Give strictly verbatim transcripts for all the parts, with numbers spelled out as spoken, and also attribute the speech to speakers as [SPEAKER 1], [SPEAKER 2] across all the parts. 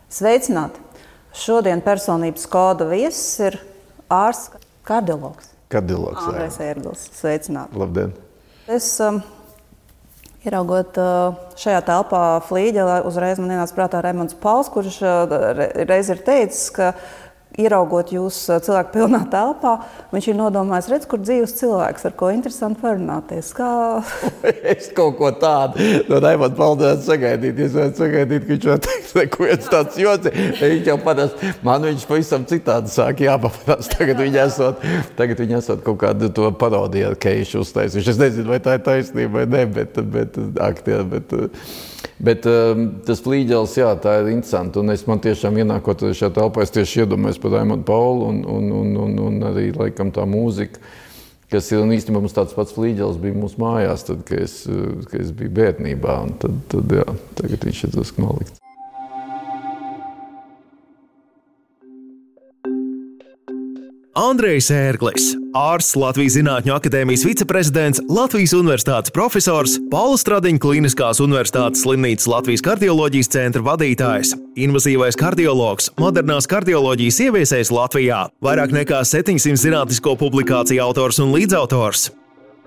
[SPEAKER 1] Sveicināti! Šodien personības koda viesis ir ārsts kardiologs.
[SPEAKER 2] Kardiologs, jā.
[SPEAKER 1] Andrejs Ērglis. Sveicināti!
[SPEAKER 2] Labdien!
[SPEAKER 1] Es, um, ieraugot uh, šajā telpā flīģelē, uzreiz man ienāca prātā Raimonds Pauls, kurš uh, reiz ir teicis, ka ieraugot jūs cilvēku pilnā telpā, viņš ir nodomājis, redz, kur dzīves cilvēks, ar ko interesanti parunāties. Kā...
[SPEAKER 2] Es kaut ko tādu no Raimonda Paula sagaidīt. Es varētu sagaidīt, ka viņš var teikt, neko viens tāds joci. Viņš jau parasti, man viņš pavisam citādi sāk jāpaparās. Tagad viņi esot, tagad viņi esot kaut kādu to parodiju ar Keišu uztaisījuši. Es nezinu, vai tā ir taisnība vai ne, bet, bet aktieri, bet... Bet um, tas flīģelis, jā, tā ir interesanti. Un es man tiešām ienākot šajā telpā, es tieši iedomājos par Raimondu Paulu un, un, un, un, un arī laikam tā mūzika, kas ir, un īstenībā mums tāds pats flīģelis bija mūsu mājās, tad, kad es, kad es biju bērnībā. Un tad, tad, jā, tagad viņš ir drusku nolikts.
[SPEAKER 3] Andrejs Ērglis, ārsts, Latvijas Zinātņu akadēmijas viceprezidents, Latvijas Universitātes profesors, Paula Stradiņa Kliniskās universitātes slimnīcas Latvijas kardioloģijas centra vadītājs, invazīvais kardiologs, modernās kardioloģijas ieviesējs Latvijā, vairāk nekā septiņsimt zinātnisko publikāciju autors un līdzautors.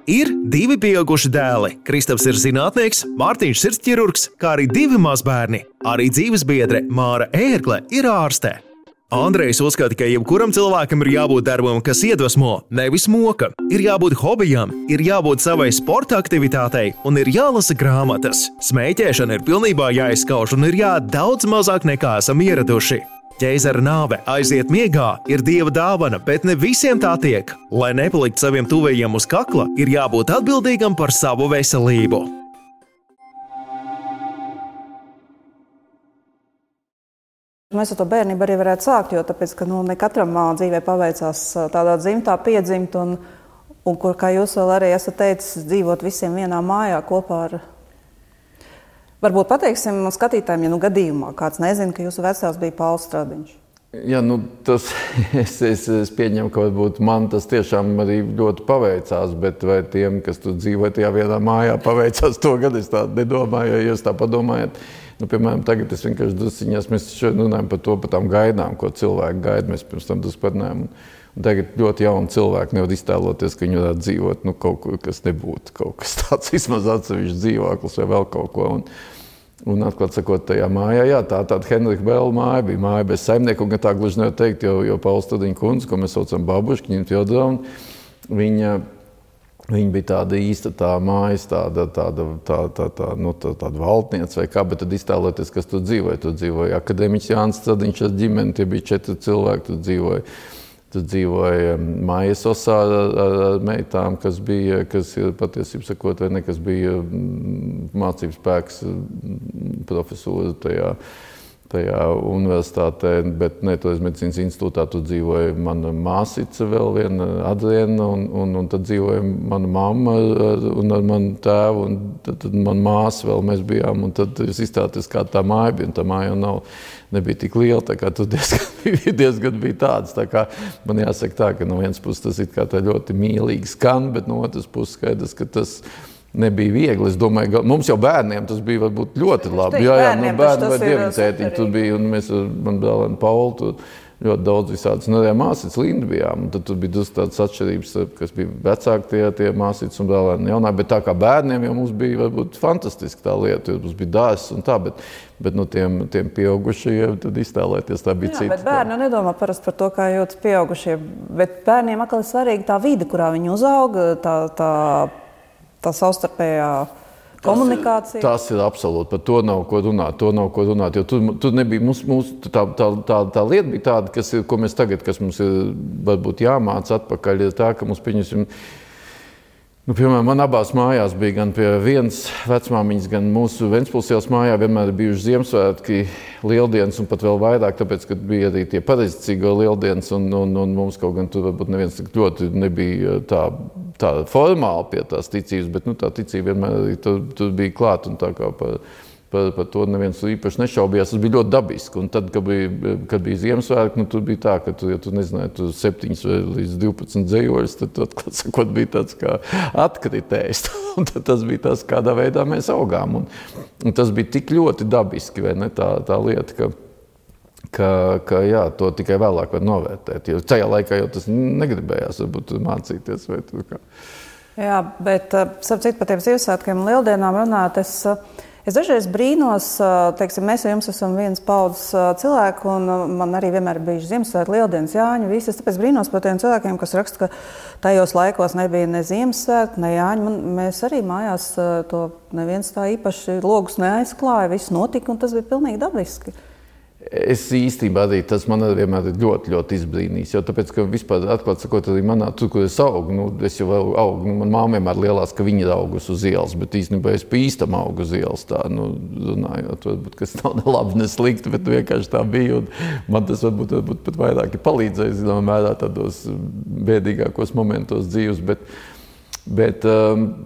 [SPEAKER 3] Ir divi pieauguši dēli. Kristaps ir zinātnieks, Mārtiņš sirdsķirurgs, kā arī divi mazbērni. Arī dzīvesbiedre Māra Ērgle ir ārste. Andrejs uzskata, ka jebkuram cilvēkam ir jābūt darbam, kas iedvesmo, nevis moka. Ir jābūt hobijam, ir jābūt savai sporta aktivitātei un ir jālasa grāmatas. Smēķēšana ir pilnībā jāizskauž un ir jāēd daudz mazāk nekā esam ieraduši. Ķeizara nāve aiziet miegā ir dieva dāvana, bet ne visiem tā tiek. Lai nepalikt saviem tuvējiem uz kakla, ir jābūt atbildīgam par savu veselību.
[SPEAKER 1] Mēs ar to bērnību arī varētu sākt, jo tāpēc, ka nu, ne katram dzīvē paveicās tādā dzimtā piedzimt, un, un kur, kā jūs vēl arī esat teicis, dzīvot visiem vienā mājā kopā ar... Varbūt pateiksim skatītājiem, ja nu gadījumā kāds nezina, ka jūsu vecāks bija Pauls Stradiņš.
[SPEAKER 2] Jā, nu tas, es, es, es pieņemu, ka varbūt man tas tiešām arī ļoti paveicās, bet vai tiem, kas tur dzīvoja tajā vienā mājā, paveicās to gadu, es tā nedomāju, ja jūs tā padomājat. Nu, piemēram, tagad es vienkārši drusciņās, mēs šodien runājam par to, par tām gaidām, ko cilvēki gaida, mēs pirms tam drusku parunājam. Un tagad ļoti jauni cilvēki nevar iztēloties, ka viņi varētu dzīvot, nu, kaut ko, kas nebūtu, kaut kas tāds, vismaz atsevišķi dzīvoklis vai vēl kaut ko. Un, un atklāt sakot, tajā mājā, jā, tā tāda Henrika Bela māja bija māja bez saimnieku, un tā gluži nevar teikt, jo, jo Paula Stradiņa kundze, ko mēs saucam babuški, viņam Teodora, viņa... Viņa bija tāda īsta tā mājas, tāda, tāda, tā, tā, tā, nu, tā, tāda valdniece vai kā, bet tad iztēloties, kas tur dzīvoja. Tur dzīvoja akadēmiķis Jānis Stradiņš ar ģimeni, tie bija četri cilvēki, tur dzīvoja. Tur dzīvoja Maija Sosā ar, ar meitām, kas bija, kas ir patiesībā sakot, vai ne, kas bija mācības spēks profesūra tajā. tajā universitātē, bet ne, toreiz medicīnas institūtā tur dzīvoja mana māsica vēl viena, Adriena, un, un, un tad dzīvoja mana mamma ar, un ar manu tēvu, un tad, tad mana māsa vēl mēs bijām, un tad jūs izstāties, kā tā māja bija, un tā māja jau nav, nebija tik liela, tā kā tur diezgan, diezgan bija tāds, tā kā man jāsaka tā, ka no vienas puses tas it kā tā ļoti mīlīgi skan, bet no otras puses skaidrs, ka tas nebija viegli. Es domāju, mums jau bērniem tas bija varbūt ļoti labi. Jā, jā, nu, bērni vai dievnicētiņi tur bija, un mēs ar man brālēnu Paulu tur ļoti daudz visādas. Un arī māsītes Linda bijām, un tad tur bija tādas atšķirības, kas bija vecāki tie, tie māsītes un brālēni jaunāki, bet tā kā bērniem jau mums bija varbūt fantastiski tā lieta, jo mums bija dārzs un tā, bet, bet nu, tiem, tiem pieaugušajiem tad iztēlēties tā bija
[SPEAKER 1] jā,
[SPEAKER 2] cita.
[SPEAKER 1] Bet bērni nedomā parasti par to, kā jūtas pieaugušie, bet bērniem atkal ir svarīga tā vide, kurā viņi uzauga, tā, tā tā savstarpējā komunikācija.
[SPEAKER 2] Tas ir, tas ir absolūti, par to nav ko runāt, to nav ko runāt, jo tur, tur nebija, mums, mums tā, tā, tā, tā lieta bija tāda, kas ir, ko mēs tagad, kas mums ir varbūt jāmāc atpakaļ, ir tā, ka mums pieņemsim, nu, piemēram, man abās mājās bija gan pie vienas vecmāmiņas, gan mūsu Ventspils ielas mājā vienmēr bijuši Ziemassvētki, lieldienas un pat vēl vairāk, tāpēc, ka bija arī tie pareizticīgo lieldienas un, un, un mums kaut gan tur varbūt neviens tik ļoti nebija tā, tā formāli pie tās ticības, bet nu, tā ticība vienmēr arī tur, tur bija klāt un tā kā par, par, par to neviens īpaši nešaubījās. Tas bija ļoti dabiski. Un tad, kad bija, kad bija Ziemassvētki, nu, tur bija tā, ka tu, ja tu nezināji, tu septiņas vai līdz divpadsmit dzējoļus, tad tu atklāt sakot bija tāds kā atkritējs. Un tad tas bija tas, kādā veidā mēs augām. Un, un tas bija tik ļoti dabiski, vai ne, tā, tā lieta, ka ka, ka jā, to tikai vēlāk var novērtēt. Jo tajā laikā jau tas negribējās varbūt mācīties. Vai tu kā.
[SPEAKER 1] Jā, bet starp citu par tiem Ziemassvētkiem un Lieldienām runāt, es, es dažreiz brīnos, teiksim, mēs ar jums esam viens paudzes cilvēku, un man arī vienmēr ir bijuši Ziemassvētki, Lieldienas, Jāņu, visi. Es tāpēc brīnos par tiem cilvēkiem, kas raksta, ka tajos laikos nebija ne Ziemassvētki, ne Jāņu. Man, mēs arī mājās to neviens tā īpaši logus neaizklāja, viss notika, un tas bija pilnīgi dabiski.
[SPEAKER 2] Es īstenībā arī tas man arī vienmēr ir ļoti, ļoti izbrīnījis, jo tāpēc, ka vispār atklāt sakot arī manā, tur, kur es augu, nu, es jau augu, nu, man māma vienmēr lielās, ka viņa ir augus uz ielas, bet īstenībā es pa īstam augu uz ielas, tā, nu, runājot, varbūt, kas nav ne labi, ne slikti, bet vienkārši tā bija, un man tas varbūt, varbūt pat vairāk ir palīdzējis, zinām, mērā tādos bēdīgākos momentos dzīves, bet, bet,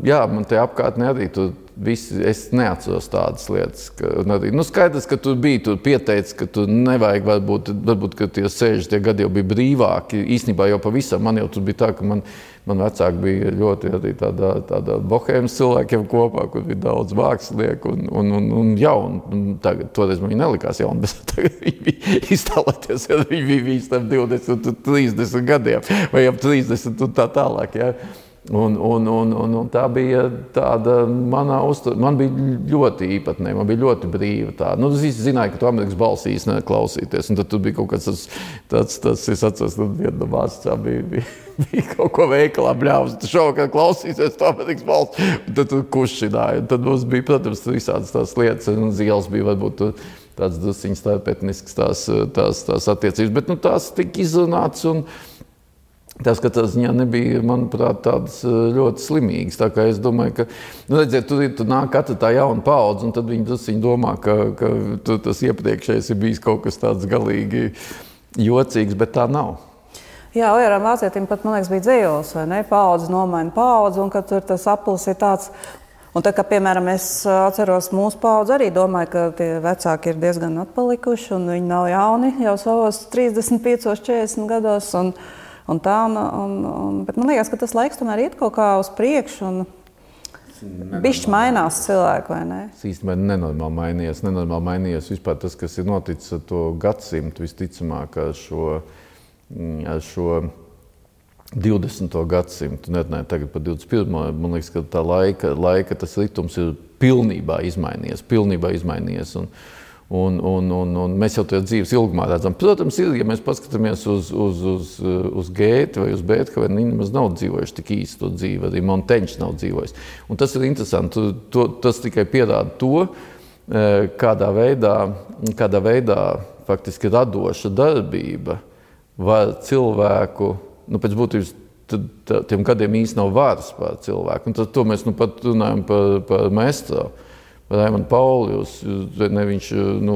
[SPEAKER 2] jā, man te apkārtnē arī tur visi, es neatceros tādas lietas. Ka, arī, nu skaidrs, ka tu biji, tu pieteici, ka tu nevajag, varbūt, varbūt ka tie sešdesmitie gadi jau bija brīvāki. Īstenībā jau pavisam, man jau tur bija tā, ka man, man vecāki bija ļoti arī tādā, tādā bohēmas cilvēkiem kopā, kur bija daudz mākslinieku un, un, un, un jauni. Tagad, toreiz man viņi nelikās jauni, bet tagad viņi bija iztālēties, ja viņi bija visi tam divdesmit, trīsdesmit gadiem vai ap trīsdesmit un tā tālāk. Ja. Un, un, un, un, un tā bija tāda manā uztur... Man bija ļoti īpatnē, man bija ļoti brīva tāda. Nu, es zināju, ka tu Amerikas balsī īsti neklausīties, un tad tur bija kaut kāds tāds, tāds, tāds es atceros, nu, viena no mācā bija, bija, bija kaut ko veikalā bļāvs, tu šovakar klausīsies tu Amerikas balsi, un tad tu kušināji. Un tad mums bija, protams, visādas tās lietas, un zielas bija varbūt tāds drusciņas starpetnisks tās, tās, tās attiecības, bet nu, tās tika izrunāts, un tas, ka tas ziņā nebija, manuprāt, tādas ļoti slimīgas. Tā kā es domāju, ka, nu, redziet, tur, tur nāk katra tā jauna paudze, un tad viņi, tas, viņi domā, ka, ka tu, tas iepriekšējais ir bijis kaut kas tāds galīgi jocīgs, bet tā nav.
[SPEAKER 1] Jā, Ojaram Vācietim pat, man liekas, bija dzējols, vai ne? Paudze nomaina paudzi, un ka tur tas aplis ir tāds. Un tā kā, piemēram, es atceros mūsu paudzi, arī domāju, ka tie vecāki ir diezgan atpalikuši, un viņi nav jauni jau savos trīsdesmit piecos, četrdesmit gados. Un, Un tā, un, un, un, bet man liekas, ka tas laiks tomēr iet kaut kā uz priekšu un bišķi mainās cilvēki, vai ne?
[SPEAKER 2] Es īstenībā nenormāli mainījies, nenormāli mainījies vispār tas, kas ir noticis ar to gadsimtu, visticamāk ar šo, ar šo divdesmito gadsimtu, nerunāju tagad par divdesmit pirmo. Man liekas, ka tā laika, laika tas ritums ir pilnībā izmainījies, pilnībā izmainījies. Un, Un, un, un, un mēs jau to dzīves ilgumā redzam. Protams, ir, ja mēs paskatāmies uz, uz, uz, uz Gēti vai uz Bēthovenu, viņi nemaz nav dzīvojuši tik īsti to dzīvi, arī Monteņš nav dzīvojis. Un tas ir interesanti, to, tas tikai pierāda to, kādā veidā, kādā veidā faktiski radoša darbība var cilvēku, nu pēc būtības, tad, tad, tiem gadiem īsti nav varas pār cilvēku. Un tad to mēs nu pat runājam par, par Maestro. Par Raimondu Paulius, ne viņš, nu,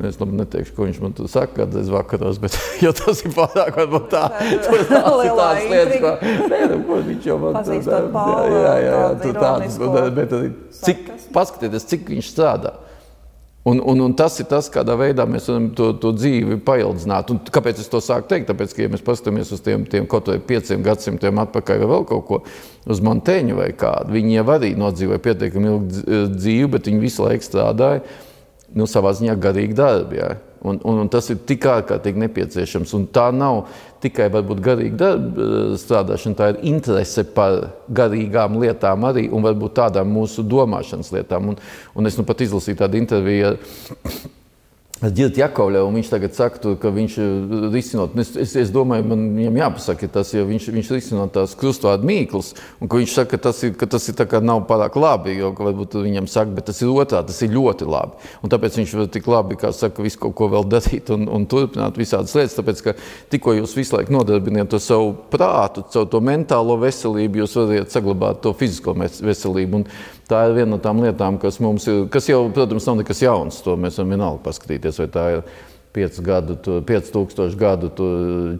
[SPEAKER 2] es labi neteikšu, ko viņš man tur saka kādreiz vakaros, bet, jo tas ir pārāk, varbūt tā, tur tās ir tās lietas, ko, nē, nu, ko viņš jau man tur, jā, jā, jā, tur tādas, bet arī, cik, paskatieties, cik viņš strādā. Un, un, un tas ir tas, kādā veidā mēs varam to, to dzīvi paildzināt. Un kāpēc es to sāku teikt? Tāpēc, ka, ja mēs paskatāmies uz tiem, tiem kaut vai pieciem gadsimtiem atpakaļ vai vēl kaut ko, uz Monteņu vai kādu, viņi jau arī nodzīvoja pietiekami ilgu dzīvi, bet viņi visu laiku strādāja, nu, savā ziņā garīgi darbi, jā. Un, un, un tas ir tik ārkārtīgi nepieciešams. Un tā nav tikai varbūt garīga darba strādāšana, tā ir interese par garīgām lietām arī un varbūt tādām mūsu domāšanas lietām. Un, un es nu pat izlasīju tādu interviju ar Ģirti Jakovļevu, un viņš tagad saka, tu, ka viņš risinot, es, es, es domāju, man viņam jāpasaka tas, jo viņš, viņš risinot tās krustvārdu mīklas, un ka viņš saka, ka tas ir, ka tas ir tā kā nav pārāk labi, jo ka varbūt viņam saka, bet tas ir otrā, tas ir ļoti labi. Un tāpēc viņš var tik labi, kā saka, visu kaut ko vēl darīt un, un turpināt visādas lietas, tāpēc, ka tikko jūs visu laiku nodarbiniet to savu prātu, savu to mentālo veselību, jūs varat saglabāt to fizisko veselību. Un tā ir viena no tām lietām, kas mums ir, kas jau, protams, nav nekas jauns, to mēs varam vienalga paskatīties, vai tā ir pieci tūkstoši gadu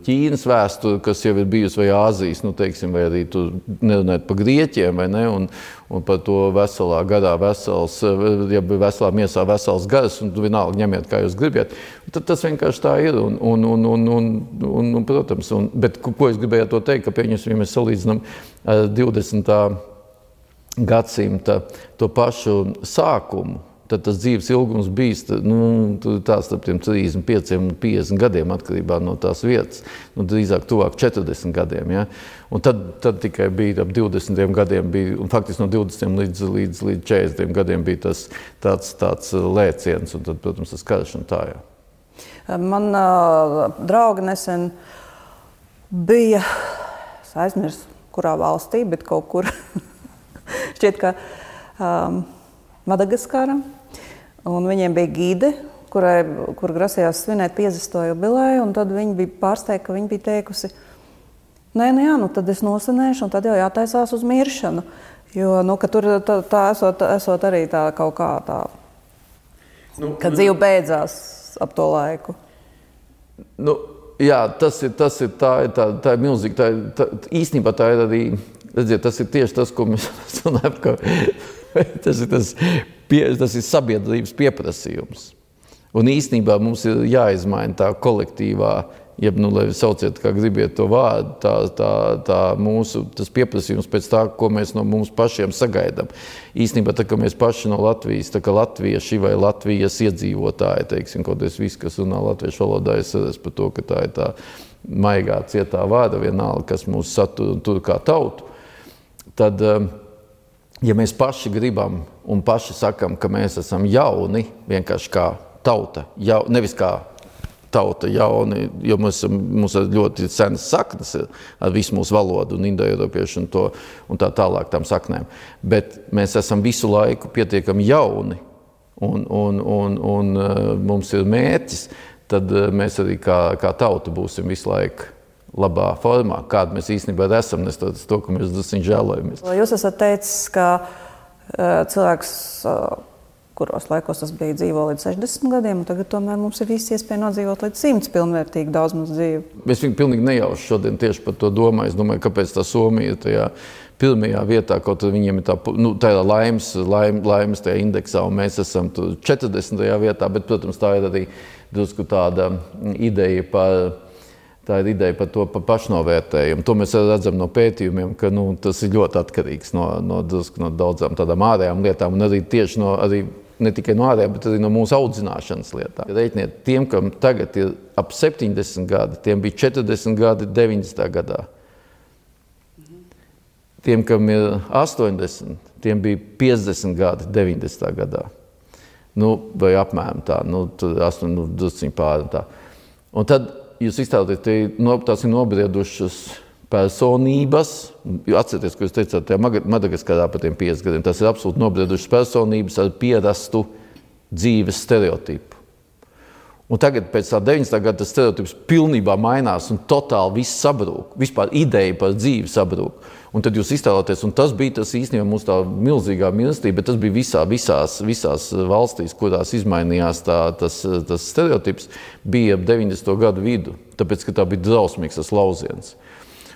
[SPEAKER 2] Ķīnas vēsture, kas jau ir bijusi, vai Āzijas, nu, teiksim, vai arī tu nerunājot par Grieķiem, vai ne, un, un par to veselā garā vesels, ja veselā miesā vesels gars, un tu vienalga ņemiet, kā jūs gribiet. Tad tas vienkārši tā ir, un, un, un, un, un, un, un protams, un, bet ko es gribēju to teikt, ka pieņems, ja mēs salīdzinām divdesmitā gadsimta to pašu sākumu, tad tas dzīves ilgums bijis nu, tās starp tiem trīsdesmit pieciem un piecdesmit gadiem atkarībā no tās vietas, nu, drīzāk tuvāk četrdesmit gadiem. Ja? Un tad, tad tikai bija ap divdesmit gadiem, bija, un faktiski no divdesmit līdz, līdz, līdz četrdesmit gadiem bija tas tāds, tāds lēciens, un tad, protams, tas karš un tā, jā.
[SPEAKER 1] Man uh, draugi nesen bija, es aizmirsu, kurā valstī, bet kaut kur šķiet, ka um, Madagaskara, un viņiem bija gide, kurai, kur grasījās svinēt piecdesmito jubileju, un tad viņi bija pārsteigti, ka viņi bija teikusi, nē, nu jā, nu tad es nosenēšu, un tad jau jātaisās uz miršanu, jo, nu, ka tur tā, tā esot, esot arī tā kaut kā tā, nu, kad dzīve beidzās ap to laiku.
[SPEAKER 2] Nu, jā, tas ir, tas ir, tā ir, tā, tā ir milzīgi, tā ir, tā, īstenībā tā ir arī, redziet, tas ir tieši tas, ko mēs runājam, ka tas ir, tas, pie, tas ir sabiedrības pieprasījums. Un īstenībā mums ir jāizmaina tā kolektīvā, jeb, nu, lai sauciet, kā gribiet to vārdu, tā, tā, tā mūsu, tas pieprasījums pēc tā, ko mēs no mums pašiem sagaidām. Īstenībā, tā, ka mēs paši no Latvijas, tā kā latvieši vai Latvijas iedzīvotāji, teiksim, kaut es viss, kas runā latviešu valodā, es redzu par to, ka tā ir tā maigā, cietā vārda vienalga, kas mūs satur un tur kā tautu, tad, ja mēs paši gribam un paši sakam, ka mēs esam jauni, vienkārši kā tauta, jau, nevis kā tauta jauni, jo mums, mums ir ļoti senas saknes ar visu mūsu valodu un indoeiropiešu un, to, un tā tālāk tām saknēm. Bet mēs esam visu laiku pietiekami jauni un, un, un, un mums ir mērķis, tad mēs arī kā, kā tauta būsim visu laiku labā formā, kāda mēs īstenībā esam, nes to, ka mēs drusciņ žēlojamies.
[SPEAKER 1] Jūs esat teicis, ka uh, cilvēks uh, kuros laikos tas bija dzīvo līdz sešdesmit gadiem, un tagad tomēr mums ir visi iespēja nodzīvot līdz simts pilnvērtīgi daudz mums dzīvi.
[SPEAKER 2] Es viņu pilnīgi nejauši šodien tieši par to domāju. Es domāju, kāpēc tā Somija ir tajā pirmajā vietā, kaut viņiem ir tā, nu, tā ir laimes, laim, laimes tajā indeksā, un mēs esam četrdesmitajā vietā, bet, protams, tā ir arī drusku tāda ideja par, tā ir ideja par to par pašnovērtējumu. To mēs redzam no pētījumiem, ka, nu, tas ir ļoti atkarīgs no, no, drusku, no daudzām tādām ārējām lietām, un arī tieši no, arī ne tikai no ārējām, bet arī no mūsu audzināšanas lietām. Reiķiniet, tiem, kam tagad ir ap septiņdesmit gadi, tiem bija četrdesmit gadi deviņdesmitajā gadā. Tiem, kam ir astoņdesmit, tiem bija piecdesmit gadi deviņdesmitajā gadā. Nu, vai apmēram tā, nu, astoņi, nu, drusciņi pāri un tā. Un tad jūs iztēloties, tās ir nobriedušas personības, atcerieties, ko jūs teicāt, tajā Madagaskarā par tiem piecdesmit gadiem, tas ir absolūti nobriedušas personības ar pierastu dzīves stereotipu. Un tagad pēc tā deviņdesmitā gada tas stereotips pilnībā mainās un totāli viss sabrūk, vispār ideja par dzīvi sabrūk. Un tad jūs iztēloties, un tas bija tas īstenībā mūsu tā milzīgā mīlestība, bet tas bija visā, visās, visās valstīs, kurās izmainījās tā, tas, tas stereotips, bija ap deviņdesmito gadu vidu, tāpēc, ka tā bija drausmīgs tas lauziens.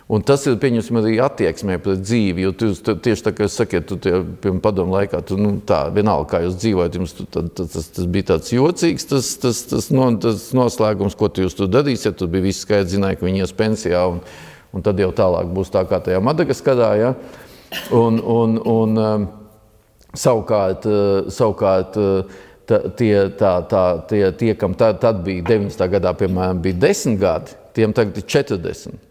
[SPEAKER 2] Un tas ir, pieņemsim, arī attieksmē pret dzīvi, jo tu, tieši tā, kā jūs sakiet, tu tie, piemēram, padomu laikā, tu, nu, tā, vienalga, kā jūs dzīvojat, jums tu, tad, tas, tas bija tāds jocīgs, tas, tas, tas, no, tas noslēgums, ko tu jūs tur darīsiet, tu bija viss skaidrs, zināja, ka viņi ies pensijā, un, un tad jau tālāk būs tā kā tajā Madagaskarā, ja? Un, un, un um, savukārt, uh, savukārt uh, tā, tie, tā, tā, tie, tie, kam tad, tad bija deviņdesmitā gadā, piemēram, bija desmit gadi, tiem tagad ir četrdesmit.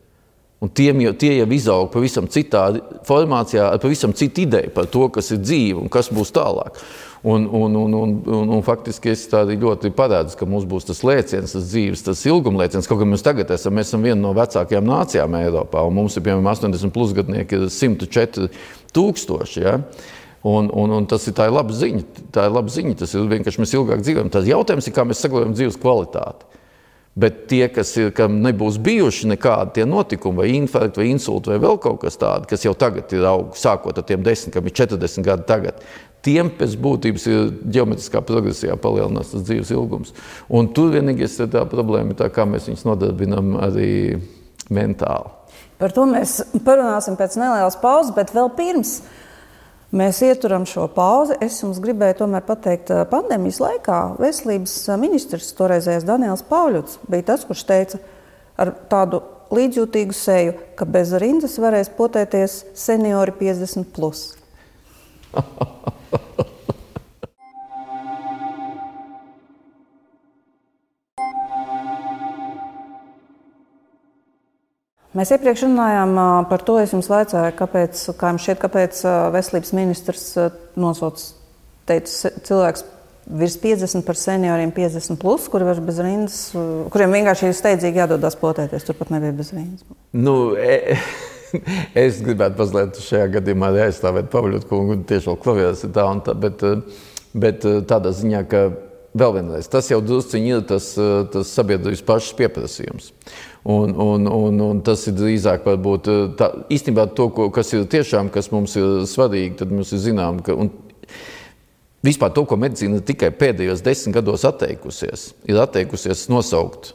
[SPEAKER 2] Un tiem jau, tie jau izaug pavisam citā formācijā, ar pavisam citu ideju par to, kas ir dzīve un kas būs tālāk. Un, un, un, un, un, un faktiski es tādi ļoti parādzu, ka mums būs tas lēciens, tas dzīves, tas ilgumlēciens, kaut kā mēs tagad esam, mēs esam viena no vecākajām nācijām Eiropā, un mums ir, piemēram, astoņdesmit plus gadnieki ir simt četri tūkstoši, ja? Un, un, un tas ir tā ir laba ziņa, tā ir laba ziņa, tas ir vienkārši mēs ilgāk dzīvojam. Tas jautājums ir, kā mēs saglabājam dzīves kvalitāti. Bet tie, kas ir, kam nebūs bijuši nekādi tie notikumi, vai infarkti, vai insulti, vai vēl kaut kas tādi, kas jau tagad ir aug, sākot ar tiem desmit, kam ir četrdesmit gadi tagad, tiem pēc būtības ir ģeometriskā progresijā palielinās tas dzīves ilgums. Un tur vienīgais ir tā problēma, tā kā mēs viņus nodarbinam arī mentāli.
[SPEAKER 1] Par to mēs parunāsim pēc nelielas pauzes, bet vēl pirms mēs ieturam šo pauzi. Es jums gribēju tomēr pateikt, pandēmijas laikā veselības ministrs, toreizējais Daniels Pauļuts, bija tas, kurš teica ar tādu līdzjūtīgu seju, ka bez rindas varēs potēties seniori piecdesmit plus. Mēs iepriekš runājām par to, es jums vaicāju, kāpēc, kā jums šķiet, kāpēc veselības ministrs nosauc, teica, cilvēks virs piecdesmit par senioriem piecdesmit plus, kuri var bez rindas, kuriem vienkārši ir steidzīgi jādodās potēties, turpat nebija bez rindas.
[SPEAKER 2] Nu, e, es gribētu mazliet šajā gadījumā aizstāvēt Pavļotu kungu, tieši vēl klavieres ir tā un tā, bet, bet tādā ziņā, ka vēl vienreiz, tas jau drusciņi ir tas, tas sabiedrības pašas pieprasījums. Un, un, un, un tas ir drīzāk varbūt tā, īstenībā to, ko, kas ir tiešām, kas mums ir svarīgi, tad mums ir zinām, ka un vispār to, ko medicīna tikai pēdējos desmit gados atteikusies, ir atteikusies nosaukt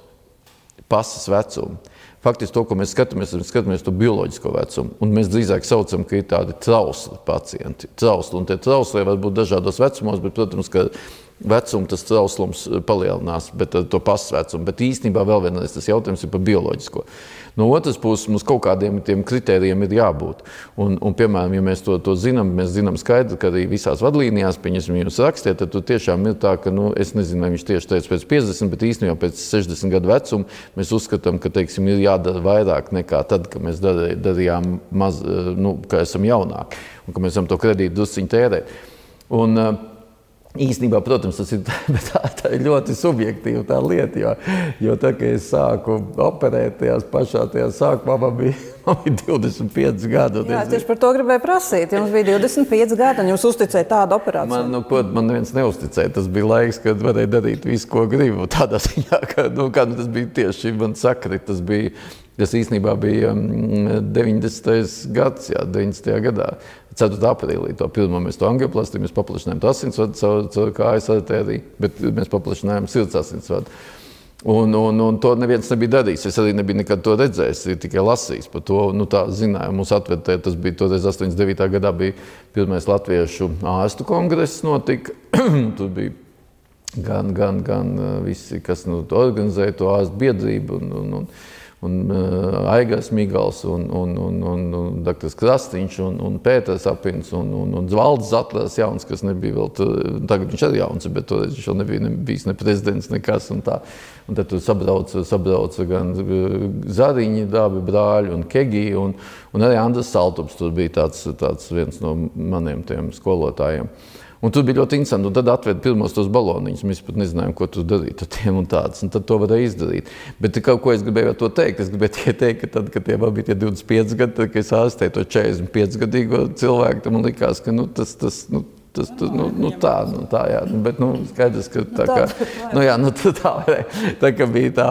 [SPEAKER 2] pasas vecumu. Faktiski to, ko mēs skatāmies, mēs skatāmies to bioloģisko vecumu, un mēs drīzāk saucam, ka ir tādi trausli pacienti. Trausli, un tie trauslie var būt dažādos vecumos, bet, protams, ka vecumu tas trauslums palielinās, bet to pasas vecumu. Bet īstenībā vēl vienreiz tas jautājums ir par bioloģisko. No otras puses, mums kaut kādiem tiem kritērijiem ir jābūt. Un, un piemēram, ja mēs to, to zinām, mēs zinām skaidri, ka arī visās vadlīnijās, pieņemsim, jūs rakstiet, tad tu tiešām ir tā, ka, nu, es nezinu, vai viņš tieši teica pēc piecdesmit, bet īstenībā pēc sešdesmit gadu vecuma mēs uzskatām, ka, teiksim, ir jādara vairāk nekā tad, kad mēs darījām maz, nu, ka esam jaunāki un ka mēs esam to kredītu drusciņu tērēt. Un, īstenībā, protams, tas ir, tā, tā ir ļoti subjektīva tā lieta, jo, jo tā, ka es sāku operēt tajās pašā tajā sākumā, man bija, man bija divdesmit pieci gadi.
[SPEAKER 1] Jā, tieši par to gribēju prasīt. Jums bija divdesmit pieci gadi, un jūs uzticēja tādu operāciju?
[SPEAKER 2] Man, nu, ko, man neviens neuzticēja. Tas bija laiks, kad varēja darīt visu, ko gribu. Tādā ziņā, ka, nu, kā, nu, tas bija tieši man sakrit, tas bija, tas īstenībā bija deviņdesmitais gads, jā, deviņdesmitajā gadā. ceturtā aprīlī to pirmo mēs to angioplastīju, mēs paplašinājām to asinsvadu caur, caur kājas artēriju, bet mēs paplašinājām sirds asinsvadu. Un, un, un to neviens nebija darījis. Es arī nebiju nekad to redzējis, tikai lasījis par to. Nu, tā zināju, mums atvedē, tas bija toreiz astoņdesmit devītā gadā bija pirmais latviešu ārstu kongress notika. Tur bija gan, gan, gan visi, kas nu, organizēja to ārstu biedrību un, un, un un uh, Aigars Migals, un, un, un, un, un doktors Krastiņš, un, un Pēters Apins, un, un, un Valdis Zatlers jauns, kas nebija vēl, tur, tagad viņš arī jauns, bet toreiz viņš vēl nebija ne, bijis ne prezidents, nekas, un tā. Un tad tur sabrauca, sabrauca gan Zariņi, Dābi brāļi, un Kegi, un, un arī Andris Saltups, tur bija tāds, tāds viens no maniem tiem skolotājiem. Un tur bija ļoti interesanti, un tad atveda pirmos tos baloniņus. Mēs pat nezinājām, ko tur darīt ar tiem un tāds, un tad to varēja izdarīt. Bet kaut ko es gribēju to teikt, es gribēju tie teikt, ka tad, kad tie man bija tie divdesmit pieci gadi, tad, kad es ārstēju to četrdesmit pieci gadīgo cilvēku, tad man likās, ka nu, tas, tas, nu, tas, tas, nu, nu tā, nu tā, jā, bet, nu, skaidrs, ka tā kā, nu jā, nu tā varēja, tā kā bija tā,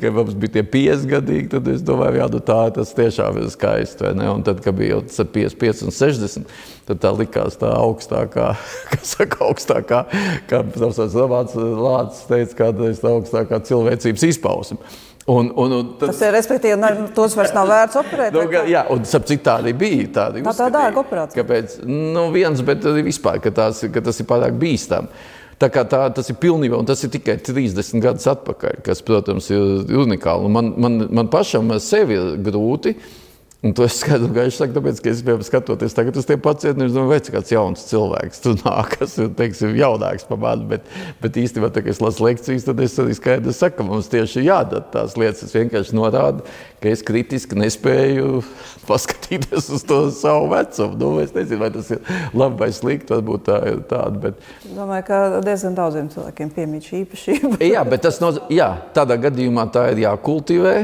[SPEAKER 2] ka mums bija tie pieci gadīgi, tad es domāju, jā, nu tā, tas tiešām ir skaisti, vai ne, un tad, kad bija jau piecdesmit pieci un sešdesmit, tad tā likās tā augstākā, kas saka, augstākā, kā Romanis Lācis teica, kādreiz tā augstākā cilvēcības izpausme. Un, un, un tas,
[SPEAKER 1] tas ir, respektīvi, ne, tos vairs nav vērts operēt?
[SPEAKER 2] Nu, jā, un sap cik tā arī bija. Tādi
[SPEAKER 1] tā tā dārga operācija.
[SPEAKER 2] Kāpēc? Nu, viens, bet arī vispār, ka, tās, ka tas ir pārāk bīstam. Tā kā tā, tas ir pilnībā, un tas ir tikai trīsdesmit gadus atpakaļ, kas, protams, ir unikāli. Man, man, man pašam ar sevi ir grūti. Un to es skaidru gaiši saku, tāpēc, ka es biju skatoties tagad uz tiem pacientiem, es domāju, vai kāds jauns cilvēks tur nāk, kas ir, teiksim, jaunāks par mani, bet, bet īstenībā, tā, kad es lasu lekcijas, tad es arī skaidri saku, ka mums tieši jādara tās lietas. Es vienkārši norādu, ka es kritiski nespēju paskatīties uz to savu vecumu. Nu, es nezinu, vai tas ir labi vai slikti, varbūt tā ir tāda, bet...
[SPEAKER 1] Domāju, ka diezgan daudziem cilvēkiem piemīt šī īpašība.
[SPEAKER 2] Jā, bet tas noz... jā, tādā gadījumā tā ir jākultivē.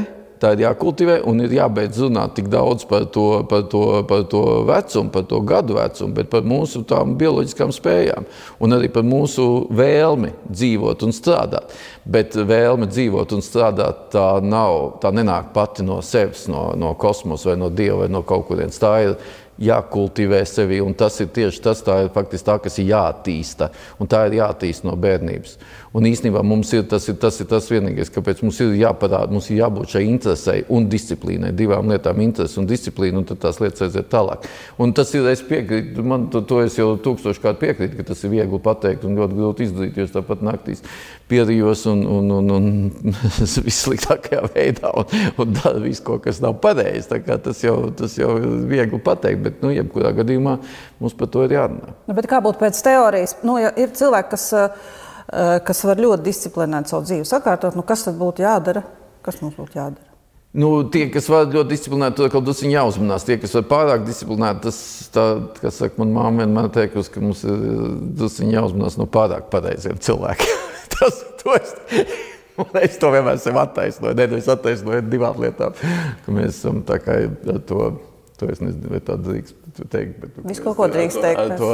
[SPEAKER 2] Tā ir jākultivē un ir jābeidz runāt tik daudz par to, par to, par to vecumu, par to gadu vecumu, bet par mūsu tām bioloģiskām spējām un arī par mūsu vēlmi dzīvot un strādāt. Bet vēlme dzīvot un strādāt tā nav, tā nenāk pati no sevis, no, no kosmosa vai no Dieva vai no kaut kurienes. Tā ir jākultivē sevi, un tas ir tieši tas, tā ir faktiski tā, kas ir jāattīsta, un tā ir jāattīsta no bērnības. Un īstenībā mums ir tas, ir, tas ir tas vienīgais, kāpēc mums ir jāparāda, mums ir jābūt šai interesei un disciplīnai, divām lietām interesi un disciplīna, un tad tās lietas aiziet tālāk. Un tas ir, es piekrītu, man to, to es jau tūkstoškārt piekrītu, ka tas ir viegli pateikt un ļoti grūti izdarīt, jo es tāpat naktīs pierījos un, un, un, un vissliktākajā veidā un, un dara visu, ko, kas nav pareizi. Tā kā tas jau, tas jau ir viegli pateikt, bet, nu, jebkurā gadījumā mums par to ir jārunā.
[SPEAKER 1] Nu, bet kā būtu pēc teorijas? Nu, ja ir cilvēki, kas, kas var ļoti disciplinēt savu dzīvi sakārtot, nu, kas tad būtu jādara? Kas mums būtu jādara?
[SPEAKER 2] Nu, tie, kas var ļoti disciplinēti, to kaut kas jāuzmanās. Tie, kas var pārāk disciplinēti, tas, tā, kas saka, man māma vienmēr teikusi, ka mums ir drusciņi jāuzmanās no pārāk pareiziem cilvēkiem. tas, to es, es to vienmēr sev attaisnoju. Ne, es attaisnoju divām lietām, ka mēs esam tā kā to, to es nezinu, vai tā drīkst teikt. Bet,
[SPEAKER 1] Visu kaut ko drīkst teikt.
[SPEAKER 2] Ar to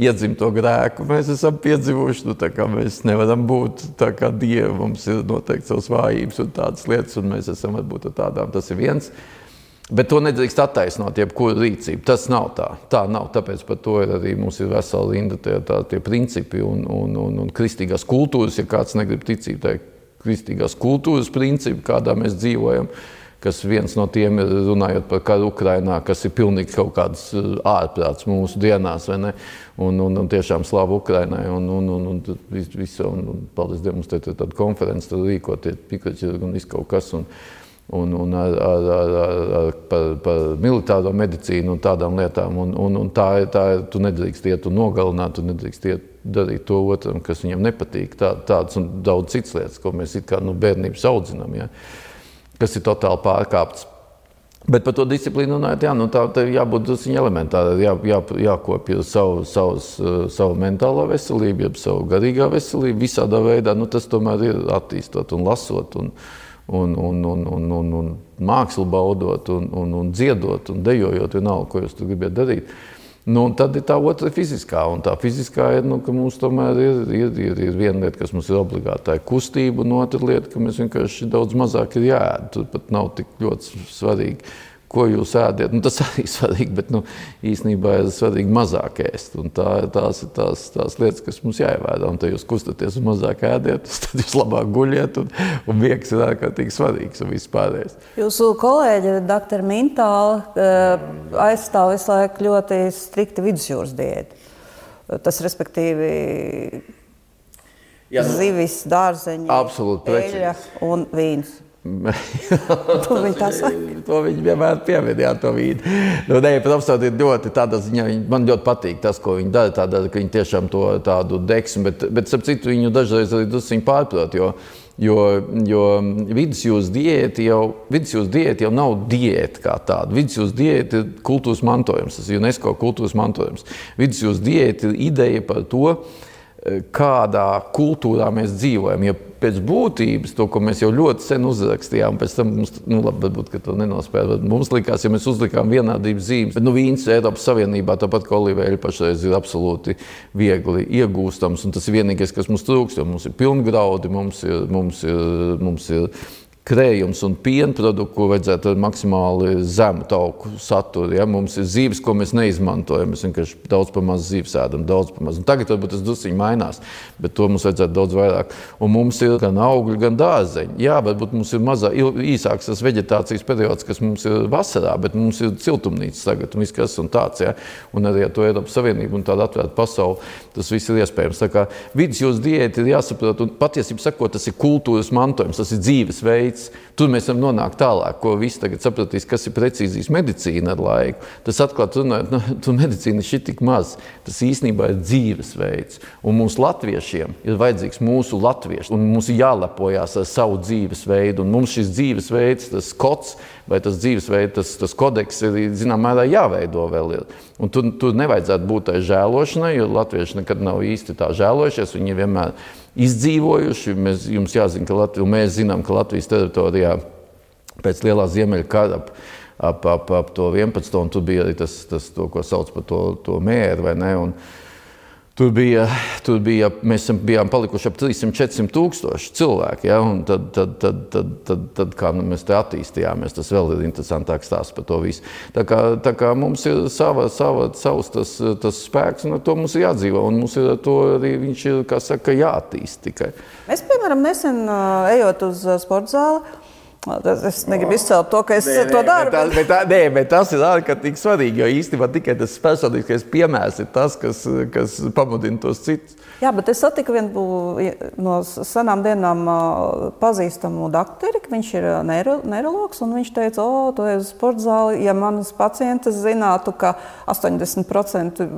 [SPEAKER 2] iedzimto grēku mēs esam piedzīvojuši, nu tā kā mēs nevaram būt tā kā Dievi, mums ir noteikti savas vājības un tādas lietas, un mēs esam varbūt ar tādām, tas ir viens. Bet to nedrīkst attaisnot, jebkuru rīcību. Tas nav tā. Tā nav, tāpēc par to ir arī mums ir vesela rinda tie, tā, tie principi un, un, un, un kristīgās kultūras, ja kāds negrib ticīt, tā kristīgās kultūras principi, kādā mēs dzīvojam, kas viens no tiem ir runājot par karu Ukrainā, kas ir pilnīgi kaut kāds ārprāts mūsu dienās, vai ne? Un, un, un tiešām slavu Ukrainai, un, un, un, un visu, un, un paldies Dievam, mums te ir tāda konference, tad rīkoties pikaķi un viss kaut kas, un, un, un ar, ar, ar, ar, par, par militāro medicīnu un tādām lietām, un, un, un tā ir, tā ir, tu nedrīkst iet un nogalināt, tu nedrīkst iet darīt to otram, kas viņam nepatīk, tā, tāds un daudz cits lietas, ko mēs it kā nu bērnības audzinām, ja? Kas ir totāli pārkāpts. Bet par to disciplīnu runājot, jā, nu tā, tā jābūt drusciņi elementāri, jā, jā, jākopja savu, savus, savu mentālo veselību, jeb savu garīgā veselību, visādā veidā, nu tas tomēr ir attīstot un lasot, un, un, un, un, un, un, un mākslu baudot, un, un, un dziedot, un dejojot vienalga, ko jūs tu gribiet darīt. Nu, un tad ir tā otra fiziskā, un tā fiziskā ir, nu, ka mums tomēr ir, ir, ir, ir viena lieta, kas mums ir obligāti, tā ir kustība, un otra lieta, ka mēs vienkārši daudz mazāk ir jāēd. Tur pat nav tik ļoti svarīgi, ko jūs ēdiet. Nu, tas arī svarīgi, bet nu, īstenībā ir svarīgi mazāk ēst. Un tā, tās ir tās, tās lietas, kas mums jāievēro. Un tad jūs kustaties un mazāk ēdiet, tad jūs labāk guļiet, un, un miegs ir ārkārtīgi svarīgs un viss pārējais.
[SPEAKER 1] Jūsu kolēģi, doktor Mintāla, aizstāv visu laiku ļoti strikti vidusjūras diētu. Tas, respektīvi, Jā, nu, zivis, dārzeņi, eļļa un vīns. To viņi tā saka.
[SPEAKER 2] To viņi vienmēr piemin, jā, to vīnu. Nu, ne, profesori ir ļoti tādā ziņā, man ļoti patīk tas, ko viņi dara, tādā, ka viņi tiešām to tādu deksmi, bet, bet starp citu viņu dažreiz arī drusciņi pārprot, jo, jo, jo vidusjūras diēta jau, vidusjūras diēta jau nav diēta kā tāda. Vidusjūras diēta ir kultūras mantojums, tas ir UNESCO kultūras mantojums. Vidusjūras diēta ir ideja par to, kādā kultūrā mēs dzīvojam. Ja pēc būtības, to, ko mēs jau ļoti sen uzrakstījām, pēc tam mums, nu labi, varbūt, ka to nenospēja, bet mums likās, ja mēs uzlikām vienādības zīmes, bet nu vīns Eiropas Savienībā, tāpat kā olīveļa pašreiz ir absolūti viegli iegūstams, un tas ir vienīgais, kas mums trūkst, jo mums ir pilngraudi, mums ir, mums ir, mums ir krējums un piena produktu, ko vajadzētu ar maksimāli zemu tauku saturu. Ja? Mums ir zīves, ko mēs neizmantojam. Mēs vienkārši daudz pa maz zīves ēdam, daudz pa maz. Un tagad varbūt tas drusciņi mainās, bet to mums vajadzētu daudz vairāk. Un mums ir gan augļi, gan dārzeņi. Jā, varbūt mums ir mazā, īsāks tas veģetācijas periods, kas mums ir vasarā, bet mums ir siltumnīcas tagad un viss kas un tāds. Ja? Un arī ar to Eiropas Savienību un tādu atvērtu pasauli, tas viss ir iespējams. Tā kā vidusjūras diēta ir jāsaprot, un patiesībā sakot, tas ir kultūras mantojums, tas ir dzīvesveids. Tur mēs varam nonākt tālāk, ko visi tagad sapratīs, kas ir precīzijas medicīna ar laiku. Tas atklāt runājot, nu, tur medicīna ir šit tik maz. Tas īstenībā ir dzīvesveids. Un mums latviešiem ir vajadzīgs mūsu latvieši. Un mums ir jālepojās ar savu dzīvesveidu. Un mums šis dzīvesveids, tas kods vai tas dzīvesveids, tas, tas kodeks ir, zinām, mērā jāveido vēl ir. Un tur, tur nevajadzētu būt tai žēlošanai, jo latvieši nekad nav īsti tā žēlojušies. Viņi vienmēr izdzīvojuši. Mēs, jums jāzina, ka Latvija, mēs zinām, ka Latvijas teritorijā pēc lielā ziemeļa kara ap, ap, ap, ap to vienpadsmito un tur bija arī tas, tas to, ko sauc par to, to mēru, vai ne? Un tur bija, tur bija, mēs bijām palikuši ap trīs simt četri simt tūkstoši cilvēki, ja? Un tad, tad, tad, tad, tad, tad kā nu, mēs te attīstījāmies, tas vēl ir interesantāks stāsts par to visu. Tā kā, tā kā mums ir sava, sava, savs tas, tas spēks, un ar to mums ir jādzīvo, un mums ir ar to arī viņš ir, kā saka, jātīst tikai.
[SPEAKER 1] Es, piemēram, nesen ejot uz sporta zāli, es negribu izcelt to, ka es nē, to daru.
[SPEAKER 2] Bet, bet, bet, nē, bet tas ir ārkārtīgi svarīgi, jo īstenībā tikai tas personīgais piemērs ir tas, kas, kas pamudina tos citus.
[SPEAKER 1] Jā, bet es satiku vienu no senām dienām pazīstamu dakteri, ka viņš ir neiro, neirologs, un viņš teica, o, tu ej uz sporta zāli, ja manas pacientes zinātu, ka astoņdesmit procenti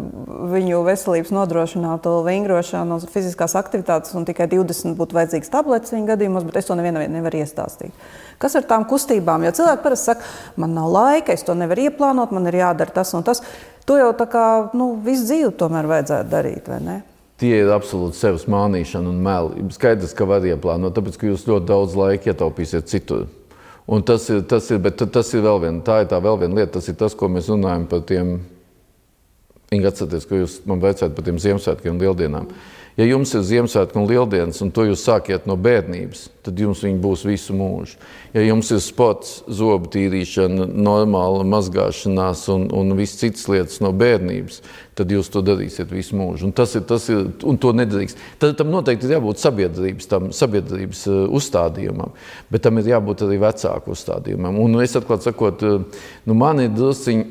[SPEAKER 1] viņu veselības nodrošinātu vingrošanu un fiziskās aktivitātes, un tikai divdesmit būtu vajadzīgs tabletes viņa gadījumos, bet es to nevienam nevaru iestāstīt. Kas ar tām kustībām? Jo cilvēki parasti saka, man nav laika, es to nevaru ieplānot, man ir jādara tas un tas. To jau tā kā, nu, visu dzīvi tomēr vajadzētu darīt, vai ne?
[SPEAKER 2] Tie ir absolūti sevis mānīšana un meli. Skaidrs, ka var ieplānot, tāpēc, ka jūs ļoti daudz laika ietaupīsiet citur. Un tas ir, tas ir, bet tas ir vēl viena, tā ir tā vēl viena lieta, tas ir tas, ko mēs runājam par tiem, Inga, atcerieties, ka jūs man veicāt par tiem Ziemassvētkiem un Lieldienām. Ja jums ir Ziemassvētki un Lieldienas, un to jūs sākiet no bērnības, tad jums viņi būs visu mūžu. Ja jums ir sports, zobu tīrīšana, normāla mazgāšanās un, un viss citas lietas no bērnības, tad jūs to darīsiet visu mūžu. Un tas ir, tas ir, un to nedrīkst. Tad tam noteikti ir jābūt sabiedrības, tam sabiedrības uzstādījumam, bet tam ir jābūt arī vecāku uzstādījumam. Un es atklāt sakot, nu man ir drusciņi,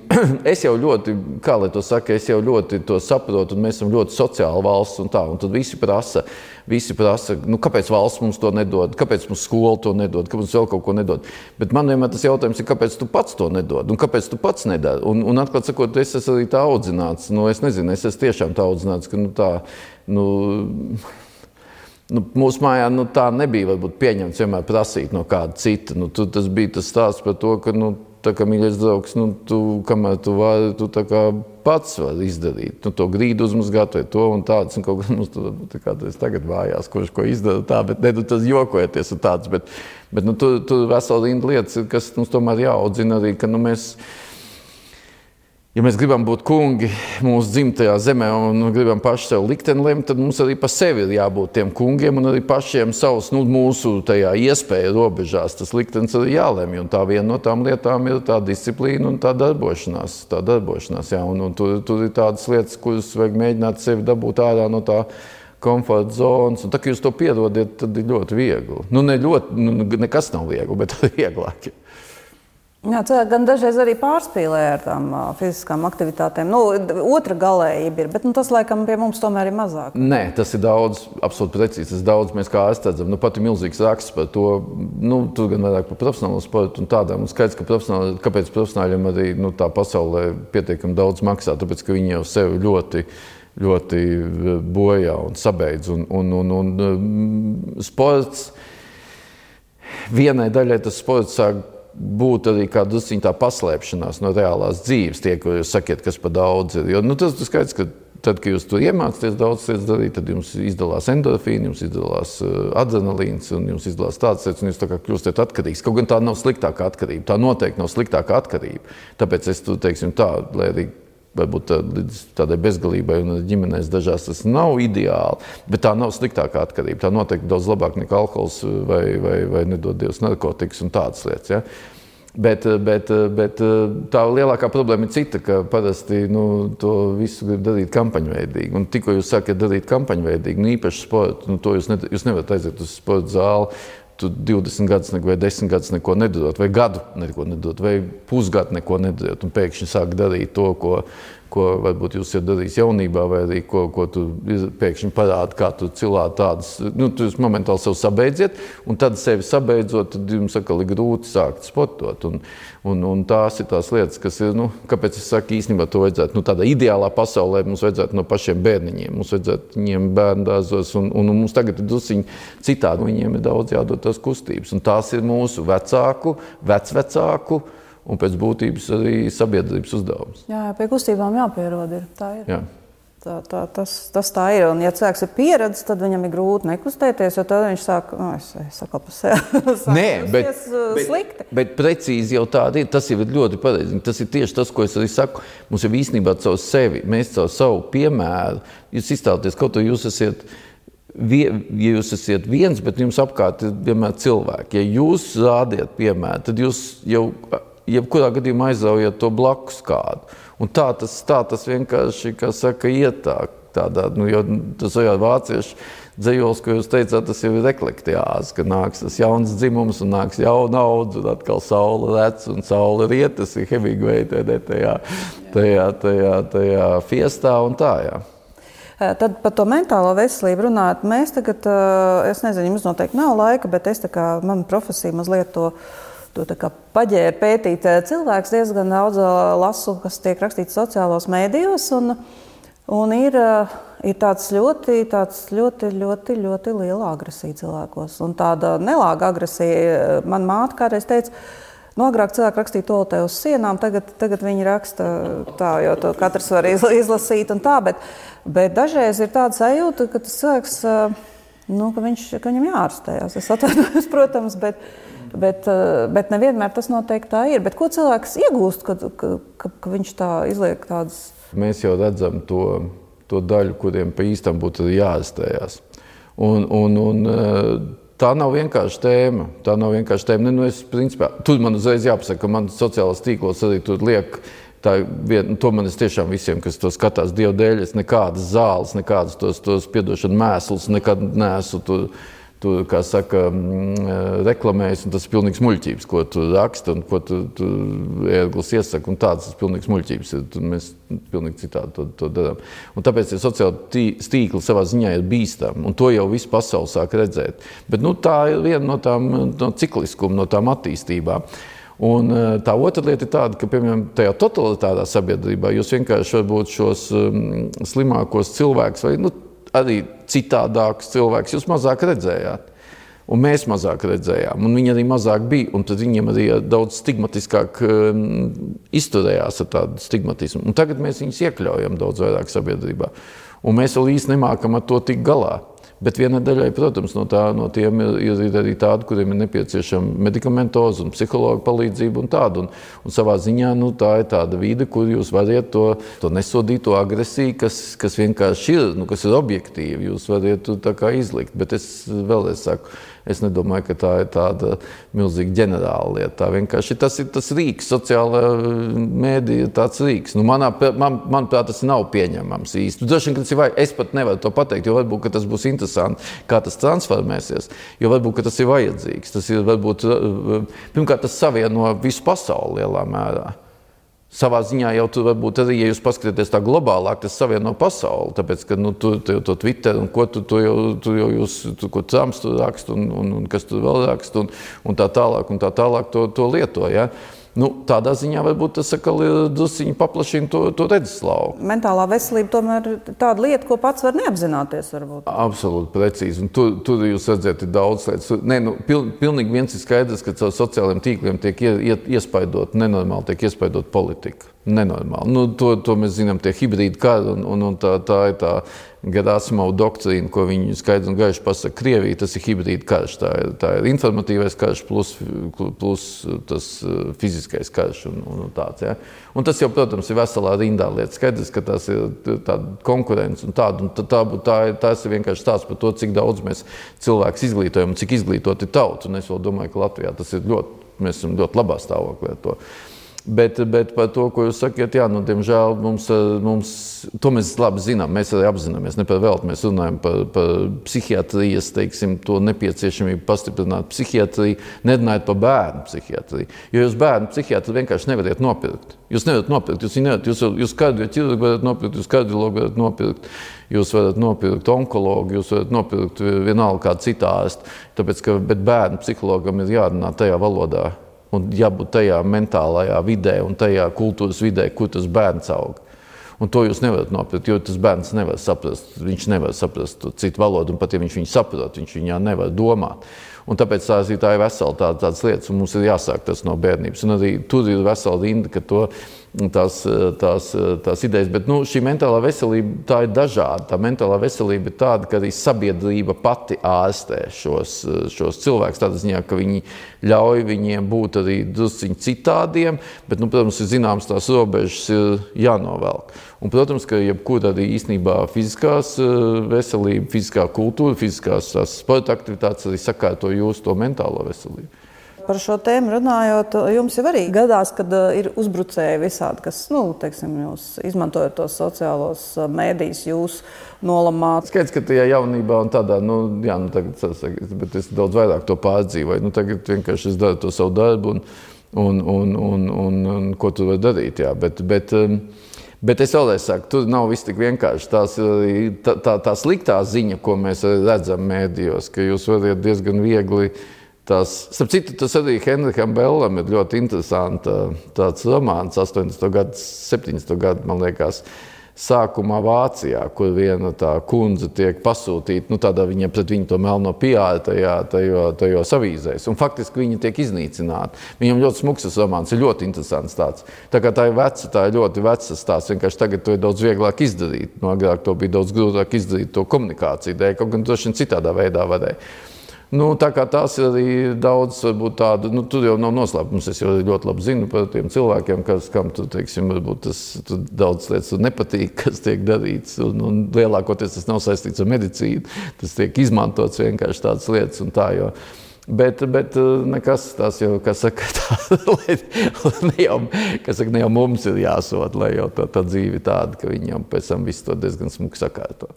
[SPEAKER 2] es jau ļoti, kā lai to saka, es jau ļoti to saprotu, un mēs esam ļoti sociāla valsts un tā, un tad visi prasa, visi prasa, nu kāpēc valsts mums to nedod, kāpēc mums skola to nedod, kāpēc mums vēl kaut ko nedod. Bet man vienmēr tas jautājums ir, kāpēc tu pats to nedod, un kāpēc tu pats nedari. Un, un atklāt sakot, es esmu arī tā audzināts, nu es nezinu, es esmu tiešām tā audzināts, ka nu tā, nu, nu mūsu mājā nu, tā nebija varbūt pieņemts vienmēr prasīt no kāda cita. Nu, tu, tas bija tas stāsts par to, ka, nu, tā kā mīļais draugs, nu, tu, kamēr tu vari, tu tā kā pats vari izdarīt. Nu, to grīdu uzmazgāt vai to un tāds, un kaut kā mums tur tā kā tas tagad vājās, kurš ko izdara tā, bet ne, tu tas jokojoties un tāds, bet, bet nu, tu, tu vesela rinda lietas, kas mums tomēr jāaudzina arī, ka, nu, mēs, ja mēs gribam būt kungi mūsu dzimtajā zemē un gribam paši sev likteni lemt, tad mums arī pa sevi ir jābūt tiem kungiem un arī pašiem savus, nu, mūsu tajā iespēja robežās tas liktenis arī jālemj. Un tā viena no tām lietām ir tā disciplīna un tā darbošanās. Tā darbošanās, jā. Un, un tur, tur ir tādas lietas, kuras vajag mēģināt sevi dabūt ārā no tā komforta zonas. Un tā, ka jūs to pierodiet, tad ir ļoti viegli. Nu, ne ļoti, nu, nekas nav viegli, bet vieglāk.
[SPEAKER 1] Jā, cilvēki gan dažreiz arī pārspīlē ar tām uh, fiziskām aktivitātēm. Nu, otra galējība ir, bet nu, tas laikam pie mums tomēr ir mazāk.
[SPEAKER 2] Nē, tas ir daudz, absolūti precīzi. Tas daudz mēs kā aizstadzam. Nu, pat ir milzīgs raksts par to, nu, tur gan vairāk par profesionālo sportu un tādām. Un skaidrs, ka profesionāli, kāpēc profesionāļiem arī nu, tā pasaulē pietiekami daudz maksā, tāpēc, ka viņi jau sevi ļoti, ļoti bojā un sabeidz. Un, un, un, un sports, vienai daļai tas sports sāk būt arī kā drusciņ tā paslēpšanās no reālās dzīves, tie, ko jūs sakiet, kas pa daudz ir. Jo, nu, tas ir skaidrs, ka tad, kad jūs tur iemācāties daudz lietas darīt, tad jums izdalās endorfīni, jums izdalās adrenalīns un jums izdalās tādas lietas, un jūs tā kā kļūstat atkarīgs. Kaut gan tā nav sliktākā atkarība, tā noteikti nav sliktākā atkarība. Tāpēc es tur, teiksim tā, lai arī varbūt tā, līdz tādai bezgalībai un ģimenēs dažās tas nav ideāli, bet tā nav sliktākā atkarība. Tā noteikti daudz labāk nekā alkohols vai, vai, vai nedod Dievs narkotikas un tādas lietas. Ja? Bet, bet, bet tā lielākā problēma ir cita, ka parasti nu, to visu grib darīt kampaņveidīgi. Un tikko jūs sākat darīt kampaņveidīgi, nu, īpaši sportu, nu, to jūs, ne, jūs nevarat aiziet uz sporta zāli, tu divdesmit gadus vai desmit gadus neko nedarot, vai gadu neko nedarot, vai pusgadu neko nedarot, un pēkšņi sāk darīt to, ko, ko varbūt jūs jau darījis jaunībā, vai arī ko, ko tu pēkšņi parādi, kā tu cilāt tādas, nu, tu jūs momentāli sev sabeidziet, un tad sevi sabeidzot, tad jums atkal ir grūti sākt sportot, un, un, un tās ir tās lietas, kas ir, nu, kāpēc es saku, īstenībā to vajadzētu, nu, tādā ideālā pasaulē mums vajadzētu no pašiem bērniņiem, mums vajadzētu viņiem bērndārzos, un, un mums tagad ir drusciņi citādi, viņiem ir daudz jādod tās kustības, un tās ir mūsu vecāku, vecvecāku, un pēc būtības arī sabiedrības uzdevums.
[SPEAKER 1] Jā, pie kustībām jāpierod ir, tā ir.
[SPEAKER 2] Jā.
[SPEAKER 1] Tā, tā, tas, tas tā ir, un ja cilvēks ir pieredzis, tad viņam ir grūti nekustēties, jo tad viņš sāk, nu, es, es saku pa sevi, sāk
[SPEAKER 2] Nē, bet,
[SPEAKER 1] slikti.
[SPEAKER 2] Bet, bet precīzi jau tāda ir, tas jau ir ļoti pareizi. Tas ir tieši tas, ko es arī saku. Mums jau īstenībā caur sevi, mēs caur savu piemēru, jūs izstāties, kaut ko jūs esat, ja jūs esat viens, bet jums apkārt ir vienmēr cilvēki. Ja jūs rādiet piemēru, tad jūs jau jebkurā gadījumā aizaujat to blakus kādu. Un tā tas, tā tas vienkārši, kā saka, iet tā, tādā, nu, jo tas jau vāciešu dzejols, ko jūs teicāt, tas jau ir eklektiāzi, ka nāks tas jauns dzimums un nāks jauna audze, un atkal saule rec un saule riet, tas ir Hemingway tajā, tajā, tajā, tajā, tajā fiestā un tā, jā.
[SPEAKER 1] Tad par to mentālo veselību runāt, mēs tagad, es nezinu, jums noteikti nav laika, bet es tā kā, mana profesija mazliet to To tā kā paģēra pētīt. Cilvēks diezgan daudz lasu, kas tiek rakstīts sociālos mēdījos, un Un ir, ir tāds ļoti, tāds ļoti, ļoti, ļoti liela agresija cilvēkos. Un tāda nelāga agresija. Man māte kādreiz teica, nu, agrāk cilvēki rakstīja toaletē uz sienām, tagad, tagad viņi raksta tā, jo to katrs var izlasīt un tā, bet, bet dažreiz ir tāda sajūta, ka tas cilvēks, nu, ka, viņš, ka viņam jāārstējās. Es atvainojos, protams, bet, bet, bet nevienmēr tas noteikti tā ir. Bet ko cilvēks iegūst, kad, ka, ka, ka viņš tā izliek tādas...
[SPEAKER 2] Mēs jau redzam to, to daļu, kuriem pa īstam būtu jāārstējās. Un, un, un tā nav vienkārši tēma. Tā nav vienkārši tēma. Ne, nu es, principā, tur man uzreiz jāpasaka, ka man sociālās tīklos arī tur liek, tā, vien, to man es tiešām visiem, kas to skatās Dievu dēļ, es nekādas zāles, nekādas tos, tos piedošana mēslus, nekad neesmu tur, tur, kā saka, reklamējis, un tas ir pilnīgs muļķības, ko tu raksti un ko tu, tu ērglis iesaka, un tāds tas pilnīgs muļķības ir. Tur mēs pilnīgi citādi to, to darām. Un tāpēc tie sociāli tīkli savā ziņā ir bīstami, un to jau visu pasauli sāk redzēt. Bet nu, tā ir viena no tām no cikliskuma, no tām attīstībām. Un tā otra lieta ir tāda, ka, piemēram, tajā totalitārā sabiedrībā jūs vienkārši varbūt šos um, slimākos cilvēkus vai, nu, arī citādākus cilvēkus jūs mazāk redzējāt. Un mēs mazāk redzējām, un viņi arī mazāk bija, un tad viņiem arī daudz stigmatiskāk um, izturējās ar tādu stigmatismu. Un tagad mēs viņus iekļaujam daudz vairāk sabiedrībā. Un mēs vēl īsti nemākam ar to tik galā. Bet vienai daļai, protams, no, tā, no tiem ir, ir arī tādi, kuriem ir nepieciešama medikamentoza un psihologa palīdzība un tāda. Un, un savā ziņā nu, tā ir tāda vide, kur jūs variet to, to nesodīto agresiju, kas, kas vienkārši ir, nu, kas ir objektīvi, jūs variet tā kā izlikt. Bet es vēlreiz saku, es nedomāju, ka tā ir tāda milzīga ģenerāla lieta. Tā vienkārši tas ir tas rīks, sociālā mēdī ir tāds rīks. Nu, manā, man, manuprāt, tas nav pieņemams īsti. Droši vien, ka tas ir vajag, es pat nevaru to pateikt, jo varbūt, ka tas būs interesanti, kā tas transformēsies, jo varbūt, ka tas ir vajadzīgs. Tas ir varbūt, pirmkārt, tas savieno visu pasauli lielā mērā. Savā ziņā jau tur varbūt arī, ja jūs paskatāties tā globālāk, tas savieno pasauli, tāpēc, ka, nu, tur tu, to Twitter un ko tu, tu jau, tu jau jūs, tu, ko Trumps tur rakst un, un, un kas tur vēl rakst un, un tā tālāk un tā tālāk to, to lieto, ja? Nu, tādā ziņā varbūt tas atkal drusciņi paplašina to, to redzeslauku.
[SPEAKER 1] Mentālā veselība tomēr ir tāda lieta, ko pats var neapzināties varbūt.
[SPEAKER 2] Absolūti precīzi. Un tur, tur jūs redzat, ir daudz lietas. Nē, nu, pil, pilnīgi viens ir skaidrs, ka caur sociālajiem tīkliem tiek ie, iespaidot, nenormāli tiek iespaidot politika. Nenormāli. Nu, to, to mēs zinām, tie hibrīdi kari un, un, un tā, tā ir tā Gerasimova doktrīna, ko viņi skaidri un gaiši pasaka. Krievija, tas ir hibrīdi karš. Tā ir, tā ir informatīvais karš plus, plus tas fiziskais karš un, un tāds. Ja? Un tas jau, protams, ir veselā rindā lieta. Skaidrs, ka tas ir tāda konkurence un tāda. Un tā, tā, tā, tas ir vienkārši tāds par to, cik daudz mēs cilvēkus izglītojam un cik izglītoti tautu. Un es vēl domāju, ka Latvijā tas ir ļoti, mēs esam ļoti labā stāvoklī ar to. Bet, bet par to, ko jūs sakiet, jā, nu, diemžēl mums, mums, to mēs labi zinām, mēs arī apzināmies, ne par velti, mēs runājam par, par psihiatrijas, teiksim, to nepieciešamību pastiprināt psihiatriju, nerunājot par bērnu psihiatriju. Jo jūs bērnu psihiatriju vienkārši nevariet nopirkt. Jūs nevarat nopirkt, jūs nevarat, jūs, jūs kardioķirurgu varat nopirkt, jūs kardiologu varat nopirkt, jūs varat nopirkt onkologu, jūs varat nopirkt vienalga kādu citu ārstu, tāpēc, ka, bet bērnu psihologam ir jārunā tajā valodā. Un jābūt tajā mentālajā vidē un tajā kultūras vidē, kur tas bērns aug. Un to jūs nevarat nopirkt, jo tas bērns nevar saprast, viņš nevar saprast to citu valodu, un pat ja viņš viņu saprot, viņš viņā nevar domāt. Un tāpēc tās ir, tā ir vesela tā, tādas lietas, un mums ir jāsāk tas no bērnības. Un arī tur ir vesela rinda, ka to, tās, tās, tās idejas, bet nu, šī mentālā veselība, tā ir dažāda. Tā mentālā veselība ir tāda, ka arī sabiedrība pati ārstē šos, šos cilvēkus, tādā ziņā, ka viņi ļauj viņiem būt arī drusciņi citādiem, bet, nu, protams, ir zināms, tās robežas ir jānovelk. Un, protams, ka jebkur arī īstenībā fiziskās veselība, fiziskā kultūra, fiziskās sporta aktivitātes arī sakārto jūsu to mentālo veselību.
[SPEAKER 1] Par šo tēmu runājot, jums jau arī gadās, kad ir uzbrucēji visādi, kas, nu, teiksim, jūs izmantojot tos sociālos mēdījus, jūs nolamāt.
[SPEAKER 2] Skaidrs, ka tajā jaunībā un tādā, nu, jā, nu, tagad, bet es daudz vairāk to pārdzīvoju. Nu, tagad vienkārši es daru to savu darbu un, un, un, un, un, un ko tu vari darīt, jā, bet, bet, bet es vēlreiz saku, tur nav viss tik vienkārši. Tās, tā, tā, tā sliktā ziņa, ko mēs redzam mēdījos, ka jūs varat diezgan viegli. Tās, starp citu, tas arī Henriham Bellam ir ļoti interesanta tāds romāns, astoņdesmito gadu, septiņdesmito gadu, man liekas, sākumā Vācijā, kur viena tā kundze tiek pasūtīta, nu tādā viņa pret viņu to melno piāri tajā, tajo, tajos avīzēs. Un faktiski viņi tiek iznīcināti. Viņam ļoti smuks tas romāns, ir ļoti interesants tāds. Tā kā tā ir veca, tā ir ļoti vecas tās, vienkārši tagad to ir daudz vieglāk izdarīt. No agrāk to bija daudz grūtāk izdarīt to komunikāciju dēļ, kaut gan droši vien citādā veidā varēja. Nu, tā kā tās ir arī daudz, varbūt tādu, nu, tur jau nav noslēpums, es jau ļoti labi zinu par tiem cilvēkiem, kas, kam tu, teiksim, varbūt tas, tu daudz lietas tur nepatīk, kas tiek darīts, un, un lielākoties tas nav saistīts ar medicīnu, tas tiek izmantots vienkārši tādas lietas un tā, jo. Bet, bet nekas tās jau, kas saka, tā, ne jau, kas saka, ne jau mums ir jāsot, lai jau tā, tā dzīve tāda, ka viņam pēc tam visu to diezgan smuki sakārto.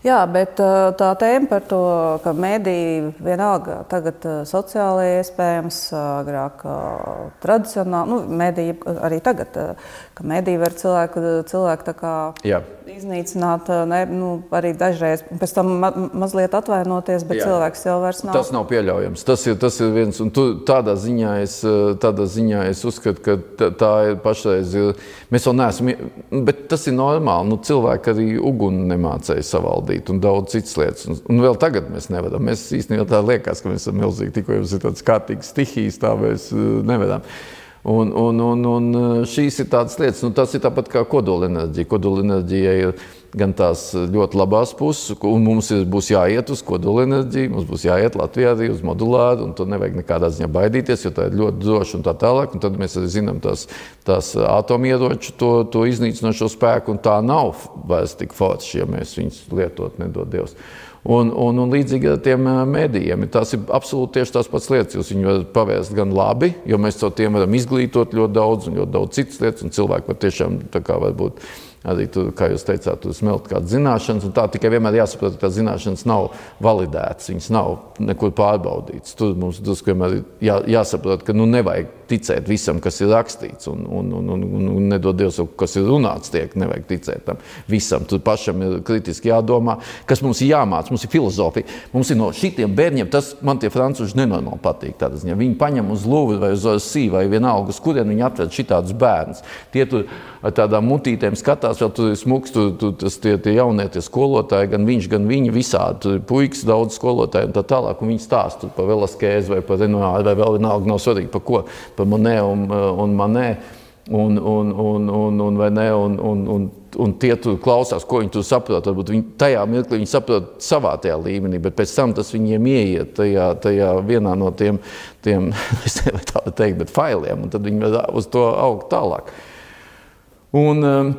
[SPEAKER 1] Jā, bet tā tēma par to, ka mediji vienalga tagad sociālajie iespējams, agrāk tradicionāli, nu, mediji arī tagad, ka mediji var cilvēku, cilvēku tā kā Jā. iznīcināt, ne, nu, arī dažreiz, pēc tam ma mazliet atvainoties, bet Jā. cilvēks jau vairs nav.
[SPEAKER 2] Tas nav pieļaujams. Tas ir, tas ir viens, un tu, tādā, ziņā es, tādā ziņā es uzskatu, ka tā, tā ir pašreiz, mēs vēl neesam, bet tas ir normāli, nu, cilvēki arī uguni nemācēja savaldīt un daudz citas lietas. Un, un vēl tagad mēs nevaram. Mēs īstenībā tā liekas, ka mēs esam milzīgi, tikko jums ir tāds kārtīgs stihijas, tā mēs nevaram. Un, un, un, un šīs ir tādas lietas, nu, tas ir tāpat kā kodolenerģija. Kodolenerģija ir gan tās ļoti labās puses, un mums ir, būs jāiet uz kodolenerģiju, mums būs jāiet Latvijā arī uz modulāru, un tur nevajag nekādā ziņā baidīties, jo tā ir ļoti droša un tā tālāk, un tad mēs arī zinām tās, tās atomieroču, to, to iznīcinošo spēku, un tā nav vairs tik forši, ja mēs viņus lietot, nedod Dievs. Un, un, un līdzīgi ar tiem medijiem. Tās ir absolūti tieši tās pats lietas. Jūs viņu varat pavērst gan labi, jo mēs caur tiem varam izglītot ļoti daudz un ļoti daudz citas lietas, un cilvēki var tiešām tā kā varbūt arī, tur, kā jūs teicāt, tur smelt kādas zināšanas, un tā tikai vienmēr jāsaprot, ka tās zināšanas nav validētas, viņas nav nekur pārbaudītas. Tur mums drusku vienmēr jā, jāsaprot, ka nu nevajag ticēt visam, kas ir rakstīts, un, un, un, un, un nedod Dievs, kas ir runāts tiek, nevajag ticēt tam visam. Tur pašam ir kritiski jādomā, kas mums ir jāmāc, mums ir filozofija. Mums ir no šitiem bērņiem, tas man tie francūži nenormāli patīk. Tādā ziņā. Viņi paņem uz Louvre vai uz Orsī vai vienalga, uz kurien viņi atved šitādus bērnus. Tie tur ar tādām mutītēm skatās, vēl tur ir smuks, tur, tur tas tie, tie jaunie tie skolotāji, gan viņš, gan viņi visādi. Tur ir puikas, daudz skolotāji un tā tālāk, un viņi stāst par Velasquez vai par Renoir, vai vēl vienalga nav svarīgi par ko, par Monet un, un Manet, un, un, un, un, un, vai ne, un, un, un, un tie tur klausās, ko viņi tur saprot. Varbūt viņi, tajā mirklī viņi saprot savā tajā līmenī, bet pēc tam tas viņiem ieiet tajā, tajā vienā no tiem, tiem es nevaru tā teikt, bet failiem, un tad viņi var uz to augt tālāk. Un um,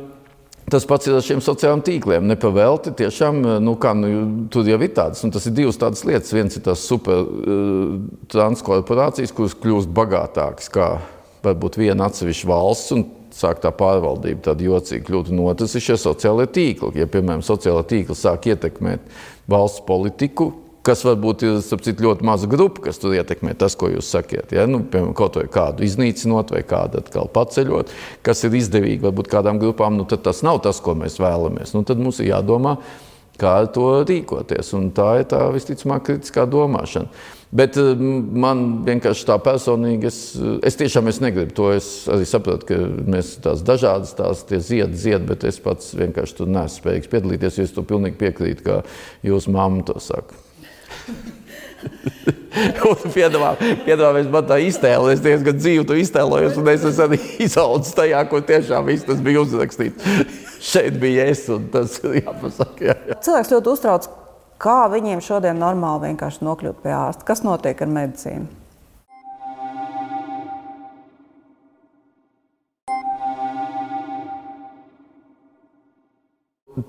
[SPEAKER 2] tas pats ir ar šiem sociālajiem tīkliem. Nepavelti tiešām, nu kā, nu, tur jau ir tādas, un tas ir divas tādas lietas. Viens ir tās super uh, transkorporācijas, kuras kļūst bagātākas kā varbūt viena atsevišķa valsts, un sāk tā pārvaldība tāda jocīga kļūt. Un otrs ir šie sociālie tīkli. Ja, piemēram, sociālā tīkla sāk ietekmēt valsts politiku, kas varbūt ir, starp citu, ļoti maza grupa, kas tur ietekmē tas, ko jūs sakiet. Ja? Nu, piemēram, kaut vai kādu iznīcinot vai kādu atkal paceļot, kas ir izdevīgi varbūt kādām grupām, nu tad tas nav tas, ko mēs vēlamies. Nu, tad mums ir jādomā, kā ar to rīkoties. Un tā ir tā visticamāk kritiskā domāšana. Bet man vienkārši tā personīgi, es, es tiešām es negribu to, es arī saprotu, ka mēs tās dažādas tās tie zied, zied, bet es pats vienkārši tur neesmu spējīgs piedalīties, jo es to pilnīgi piekrītu, kā jūsu mamma to saka. piedāvā, piedāvā man tā iztēle, es diezgan dzīvu to iztēlojos, un es esmu arī izaudzis tajā, ko tiešām viss tas bija uzrakstīts. Šeit bija es, un tas jāpasaka. Jā, jā.
[SPEAKER 1] Cilvēks ļoti uztrauc, kā viņiem šodien normāli vienkārši nokļūt pie ārsta. Kas notiek ar medicīnu?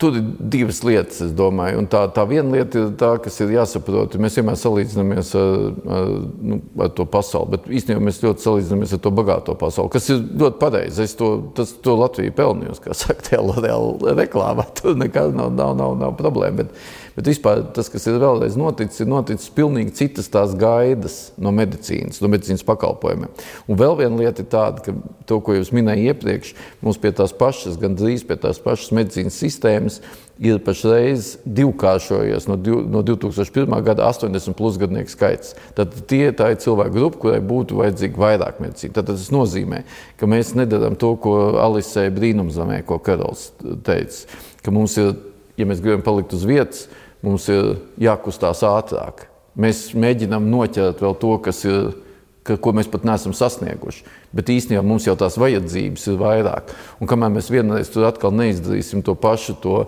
[SPEAKER 2] Tur ir divas lietas, es domāju, un tā, tā viena lieta ir tā, kas ir jāsaprot. Mēs vienmēr salīdzinamies ar, ar, nu, ar to pasauli, bet īstenībā mēs ļoti salīdzinamies ar to bagāto pasauli, kas ir ļoti pareizi. Es to, tas, to Latviju pelnījos, kā saka, tajā reklāmā. Tur nekad nav, nav, nav, nav problēma. Bet, Bet vispār tas, kas ir vēlreiz noticis, ir noticis pilnīgi citas tās gaidas no medicīnas, no medicīnas pakalpojumiem. Un vēl viena lieta ir tāda, ka to, ko jūs minēju iepriekš, mums pie tās pašas, gan drīz pie tās pašas medicīnas sistēmas, ir pašreiz divkāršojies no, no divi tūkstoši pirmā gada astoņdesmit plus gadnieku skaits. Tad tie tā ir cilvēku grupa, kurai būtu vajadzīga vairāk medicīna. Tad tas nozīmē, ka mēs nedarām to, ko Alisei brīnumzemē, ko Karols teica, ka mums ir, ja mēs gribam palikt uz vietas, mums ir jākustās ātrāk. Mēs mēģinām noķert vēl to, kas ir, ka, ko mēs pat neesam sasnieguši. Bet īstenībā mums jau tās vajadzības ir vairāk. Un kamēr mēs vienreiz tur atkal neizdarīsim to pašu, to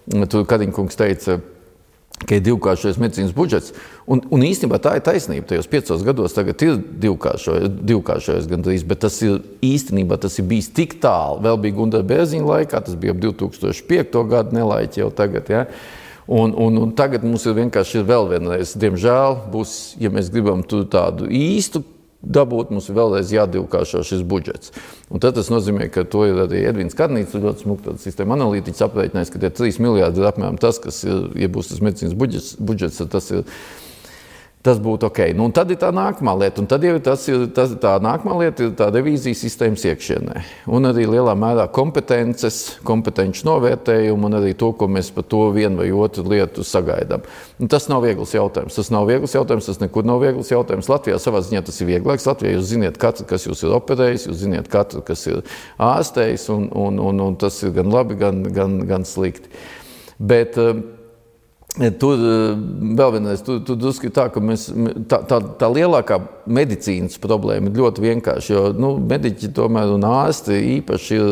[SPEAKER 2] Tur Kariņkungs teica, ka ir divkāršojas medicīnas budžets. Un, un īstenībā tā ir taisnība. Tajos piecos gados tagad ir divkāršojas, divkāršojas gandrīz, bet tas ir īstenībā tas ir bijis tik tālu. Vēl bija Gundara Bērziņa laikā, tas bija ap divi tūkstoši piekto gadu nelaiķi jau tagad. Ja? Un, un, un tagad mums ir vienkārši ir vēl vienreiz. Diemžēl būs, ja mēs gribam tur tādu īstu dabūt, mums ir vēlreiz jādivkāršo šis budžets. Un tad tas nozīmē, ka to ir arī Edvīns Karnīts, ļoti smuk tāda sistēma analītiķis aprēķinājis, ka tie trīs miljārdi ir apmēram tas, kas ir, ja būs tas medicīnas budžets, budžets tas ir Tas būtu ok. Nu, un tad ir tā nākamā lieta. Un tad jau tas ir, tas, tā nākamā lieta ir tā revīzijas sistēmas iekšienē. Un arī lielā mērā kompetences, kompetenci novērtējumu un arī to, ko mēs par to vienu vai otru lietu sagaidām. Un tas nav viegls jautājums. Tas nav viegls jautājums, tas nekur nav viegls jautājums. Latvijā savā ziņā tas ir vieglāks. Latvijā jūs ziniet katru, kas jūs ir operējis, jūs ziniet katru, kas ir ārstējis, un, un, un, un tas ir gan labi, gan, gan, gan slikti. Bet tur vēl vienreiz, tur, tur drusku tā, ka mēs, tā, tā, tā lielākā medicīnas problēma ir ļoti vienkārši, jo nu, mediķi tomēr un ārsti īpaši ir,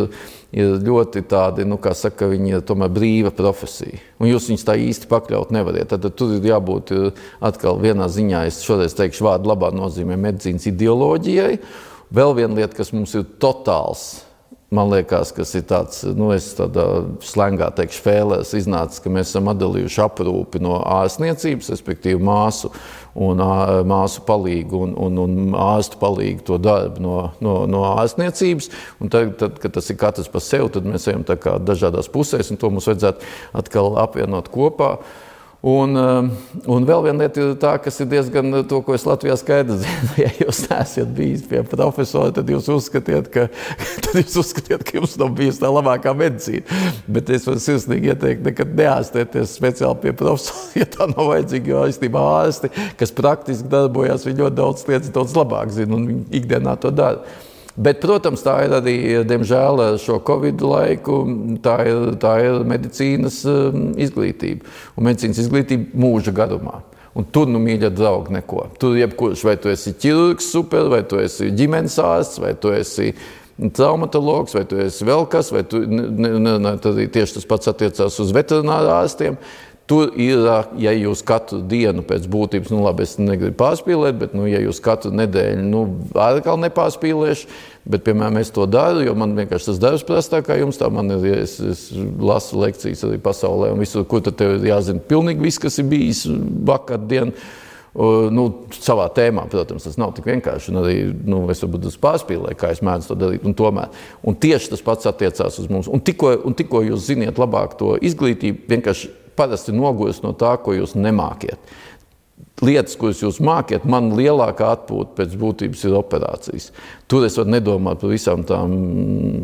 [SPEAKER 2] ir ļoti tādi, nu, kā saka, viņi ir tomēr brīva profesija. Un jūs viņus tā īsti pakļaut nevariet. Tad, tad tur ir jābūt atkal vienā ziņā, es šoreiz teikšu vārdu labā nozīmē medicīnas ideoloģijai. Vēl viena lieta, kas mums ir totāls, man liekas, kas ir tāds, nu, es tādā slengā teikšu fēlēs iznācis, ka mēs esam atdalījuši aprūpi no ārstniecības, respektīvi māsu un māsu palīgu un, un, un ārstu palīgu to darbu no, no, no ārstniecības. Un tad, tad, kad tas ir katrs par sevi, tad mēs ejam tā kā dažādās pusēs, un to mums vajadzētu atkal apvienot kopā. Un, un vēl viena lieta ir tā, kas ir diezgan to, ko es Latvijā skaidri zinu. Ja jūs neesat bijis pie profesora, tad jūs uzskatiet, ka, tad jūs uzskatiet, ka jums nav bijis tā labākā medicīna. Bet es varu sirsnīgi ieteikt nekad neārstēties speciāli pie profesora, ja tā nav vajadzīga, jo īstenībā ārsti, kas praktiski darbojās, viņi ļoti daudz lietas daudz labāk zina un viņi ikdienā to dara. Bet, protams, tā ir arī, diemžēl, šo Covid laiku, tā ir, tā ir medicīnas izglītība. Un medicīnas izglītība mūža garumā. Un tur, nu, mīļa draugi, neko. Tur jebkurš, vai tu esi ķirurgs super, vai tu esi ģimenes ārsts, vai tu esi traumatologs, vai tu esi vēl kas, vai tu, ne, ne, ne, tad tieši tas pats attiecās uz veterināru ārstiem. Tur ir, ja jūs katru dienu pēc būtības, nu labi, es negribu pārspīlēt, bet, nu, ja jūs katru nedēļu, nu, atkal nepārspīlēšu, bet, piemēram, es to daru, jo man vienkārši tas darbs prastā kā jums, tā man ir, es, es lasu lekcijas arī pasaulē, un visur, kur tad tev ir jāzina pilnīgi viss, kas ir bijis vakardien, nu, savā tēmā, protams, tas nav tik vienkārši, un arī, nu, es varbūt uz pārspīlēju, kā es mēdzu to darīt, un tomēr. Un tieši tas pats attiecās uz mums. Un tikko, un tikko jūs ziniet labāk to izglītību, vienkārši parasti nogūst no tā, ko jūs nemākiet. Lietas, kuras jūs mākiet, man lielākā atpūta pēc būtības ir operācijas. Tur es varu nedomāt par visām tām,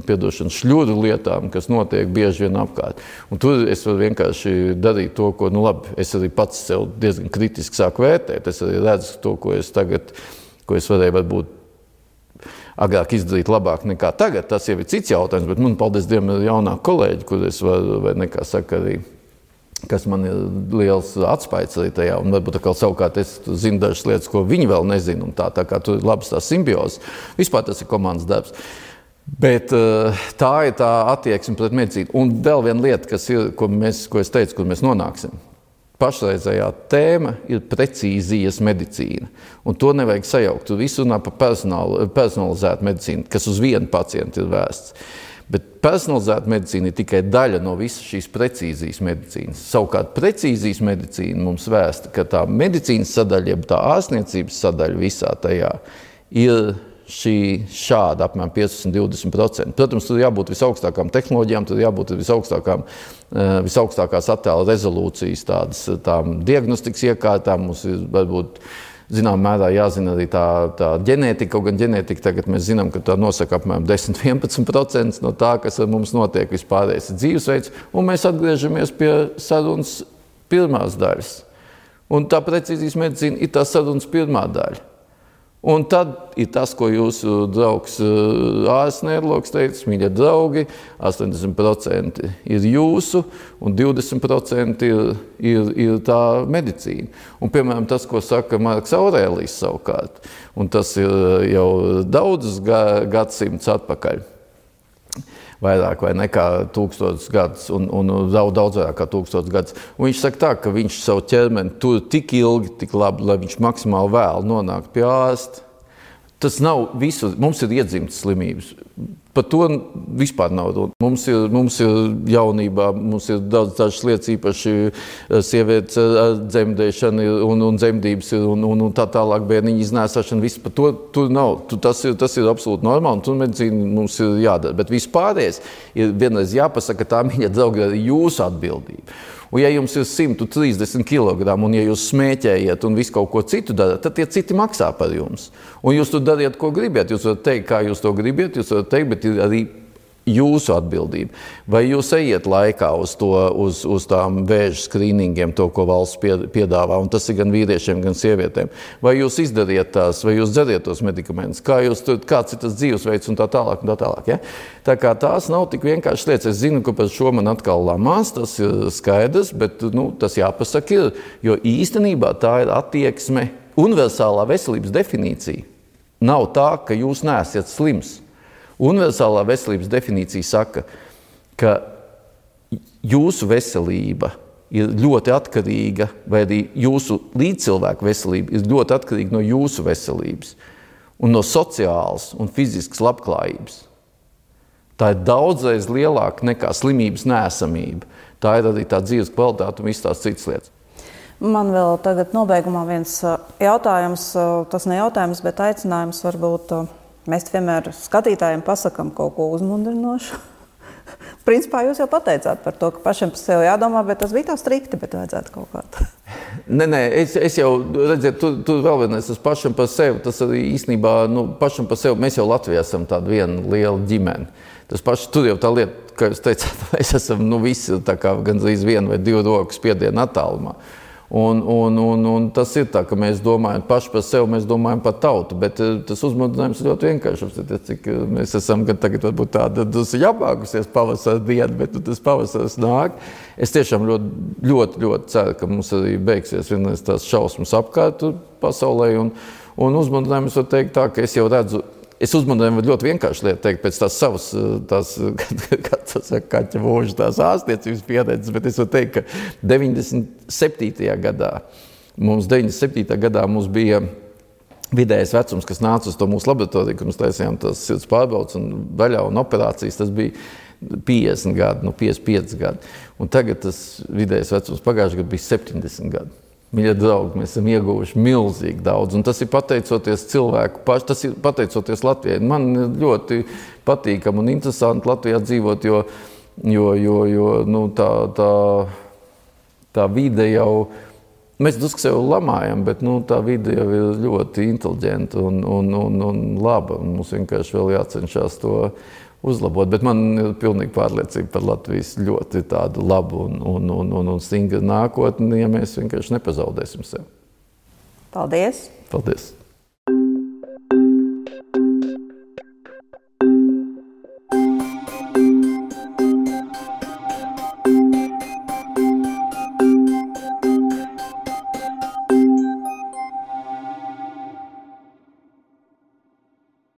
[SPEAKER 2] piedošanas, šļuru lietām, kas notiek bieži vien apkārt. Un tur es varu vienkārši darīt to, ko, nu labi, es arī pats sev diezgan kritiski sāku vērtēt. Es arī redzu to, ko es tagad, ko es varēju varbūt agrāk izdarīt labāk nekā tagad. Tas jau ir cits jautājums, bet man, paldies Dievam, ir jaunā kolēģi, kur es varu, vai nekā saka arī, kas man ir liels atspaids arī tajā, un varbūt atkal savukārt es zinu dažas lietas, ko viņi vēl nezina, un tā, tā kā tur ir labas tās simbiozes. Vispār tas ir komandas darbs. Bet tā ir tā attieksme pret medicīnu. Un vēl viena lieta, kas ir, ko, mēs, ko es teicu, kur mēs nonāksim. Pašreizējā tēma ir precīzijas medicīna, un to nevajag sajaukt. Tu visu runā par personalizētu medicīnu, kas uz vienu pacientu ir vērsts. Bet personalizēta medicīna ir tikai daļa no visas šīs precīzijas medicīnas. Savukārt precīzijas medicīna mums vēsta, ka tā medicīnas sadaļa, jeb tā ārstniecības sadaļa visā tajā ir šī šāda apmēram piecdesmit līdz divdesmit procenti. Protams, tur jābūt visaugstākām tehnoloģijām, tur jābūt visaugstākām, visaugstākās attēla rezolūcijas tādas, tām diagnostikas iekārtām. Mums ir varbūt zinām mērā jāzina arī tā, tā ģenētika, kaut gan ģenētika tagad mēs zinām, ka tā nosaka apmēram desmit līdz vienpadsmit procenti no tā, kas ar mums notiek vispārējais dzīvesveids, un mēs atgriežamies pie sarunas pirmās daļas. Un tā precīzijas medicīna ir tā sarunas pirmā daļa. Un tad ir tas, ko jūsu draugs ārsts neirologs teica, mīļie draugi, astoņdesmit procenti ir jūsu un divdesmit procenti ir, ir, ir tā medicīna. Un, piemēram, tas, ko saka Marks Aurēlijs savukārt, un tas ir jau daudzus gadsimtus atpakaļ, vairāk vai nekā tūkstotis gadus, un, un daudz, daudz vairāk kā tūkstotis gadus. Un viņš saka tā, ka viņš savu ķermeni tur tik ilgi, tik labi, lai viņš maksimāli vēl nonāk pie ārsta. Tas nav visu, mums ir iedzimtas slimības. Par to vispār nav runa. Mums ir, mums ir jaunībā, mums ir daudz dažas lietas, īpaši sievietes dzemdēšana un, un dzemdības ir, un, un, un tā tālāk bērniņa iznēsāšana. Viss par to tur nav. Tu, tas, ir, tas ir absolūti normāli, un tur medicīna mums ir jādara. Bet vispārējais ir vienreiz jāpasaka, ka tā, mīļie draugi, ir jūsu atbildība. Un ja jums ir simt trīsdesmit kilogramu, un ja jūs smēķējat un visu kaut ko citu darat, tad tie citi maksā par jums. Un jūs tur dariet, ko gribiet. Jūs varat teikt, kā jūs to gribiet, jūs varat teikt, bet ir arī jūsu atbildība. Vai jūs ejiet laikā uz, to, uz, uz tām vēža skrīningiem, to, ko valsts piedāvā, un tas ir gan vīriešiem, gan sievietēm. Vai jūs izdariet tās, vai jūs dzeriet tos medikamentus, kā jūs tur, kāds ir tas dzīvesveids un tā tālāk un tā tālāk. Ja? Tā kā tās nav tik vienkārši lietas. Es zinu, ka par šo man atkal lamās, tas ir skaidrs, bet nu, tas jāpasaka ir, jo īstenībā tā ir attieksme, universālā veselības definīcija. Nav tā, ka jūs neesat slims. Universālā veselības definīcija saka, ka jūsu veselība ir ļoti atkarīga, vai arī jūsu līdzcilvēku veselība ir ļoti atkarīga no jūsu veselības un no sociālas un fiziskas labklājības. Tā ir daudzreiz lielāka nekā slimības neesamība. Tā ir arī tā dzīves kvalitāte un viss tās citas lietas.
[SPEAKER 1] Man vēl tagad nobeigumā viens jautājums, tas ne jautājums, bet aicinājums varbūt. Mēs vienmēr skatītājiem pasakām kaut ko uzmundrinošu. Principā jūs jau pateicāt par to, ka pašiem par sevi jādomā, bet tas bija tā strikti, bet vajadzētu kaut kā.
[SPEAKER 2] Nē, nē, es, es jau, redziet, tu, tu vēl vienais, tas pašam par sevi, tas arī īstenībā, nu, pašam par sevi, mēs jau Latvijā esam tāda viena liela ģimene. Tas paši, tur jau tā lieta, kā jūs teicāt, mēs esam, nu, visi tā kā gandrīz vienu vai divu roku spiedienu attālumā. Un, un, un, un tas ir tā, ka mēs domājam paši par sevi, mēs domājam par tautu, bet tas uzmundrinājums ir ļoti vienkāršs. Cik mēs esam, kad tagad varbūt tāda jāpākusies pavasara diena, bet tas pavasars nāk. Es tiešām ļoti, ļoti, ļoti ceru, ka mums arī beigsies vienreiz tās šausmas apkārt pasaulē. Un, un uzmundrinājums var teikt tā, ka es jau redzu, es uzmundrinājumu ļoti vienkārši lietu teikt pēc tās savas, tās, kā tas saka, kaķa mūža, tās ārstniecības pieredzes, bet es varu teikt, ka deviņdesmit septītajā gadā, mums deviņdesmit septītajā gadā mums bija vidējais vecums, kas nāca uz to mūsu laboratoriju, kad mēs taisījām tās sirds pārbaudes un vaļā un operācijas, tas bija piecdesmit gadi, nu piecdesmit pieci gadi. Un tagad tas vidējais vecums pagājušajā gadā bija septiņdesmit gadi. Mīļie draugi, mēs esam ieguvuši milzīgi daudz, un tas ir pateicoties cilvēku paši, tas ir pateicoties Latvijai. Man ļoti patīkam un interesanti Latvijā dzīvot, jo, jo, jo, jo nu, tā, tā, tā vide jau, mēs drusku sev lamājam, bet nu, tā vide jau ir ļoti inteliģenta un, un, un, un laba, un mums vienkārši vēl jācenšas to uzlabot, bet man ir pilnīgi pārliecība par Latvijas ļoti tādu labu un, un, un, un, un stingru nākotni, ja mēs vienkārši nepazaudēsim sev.
[SPEAKER 1] Paldies!
[SPEAKER 2] Paldies!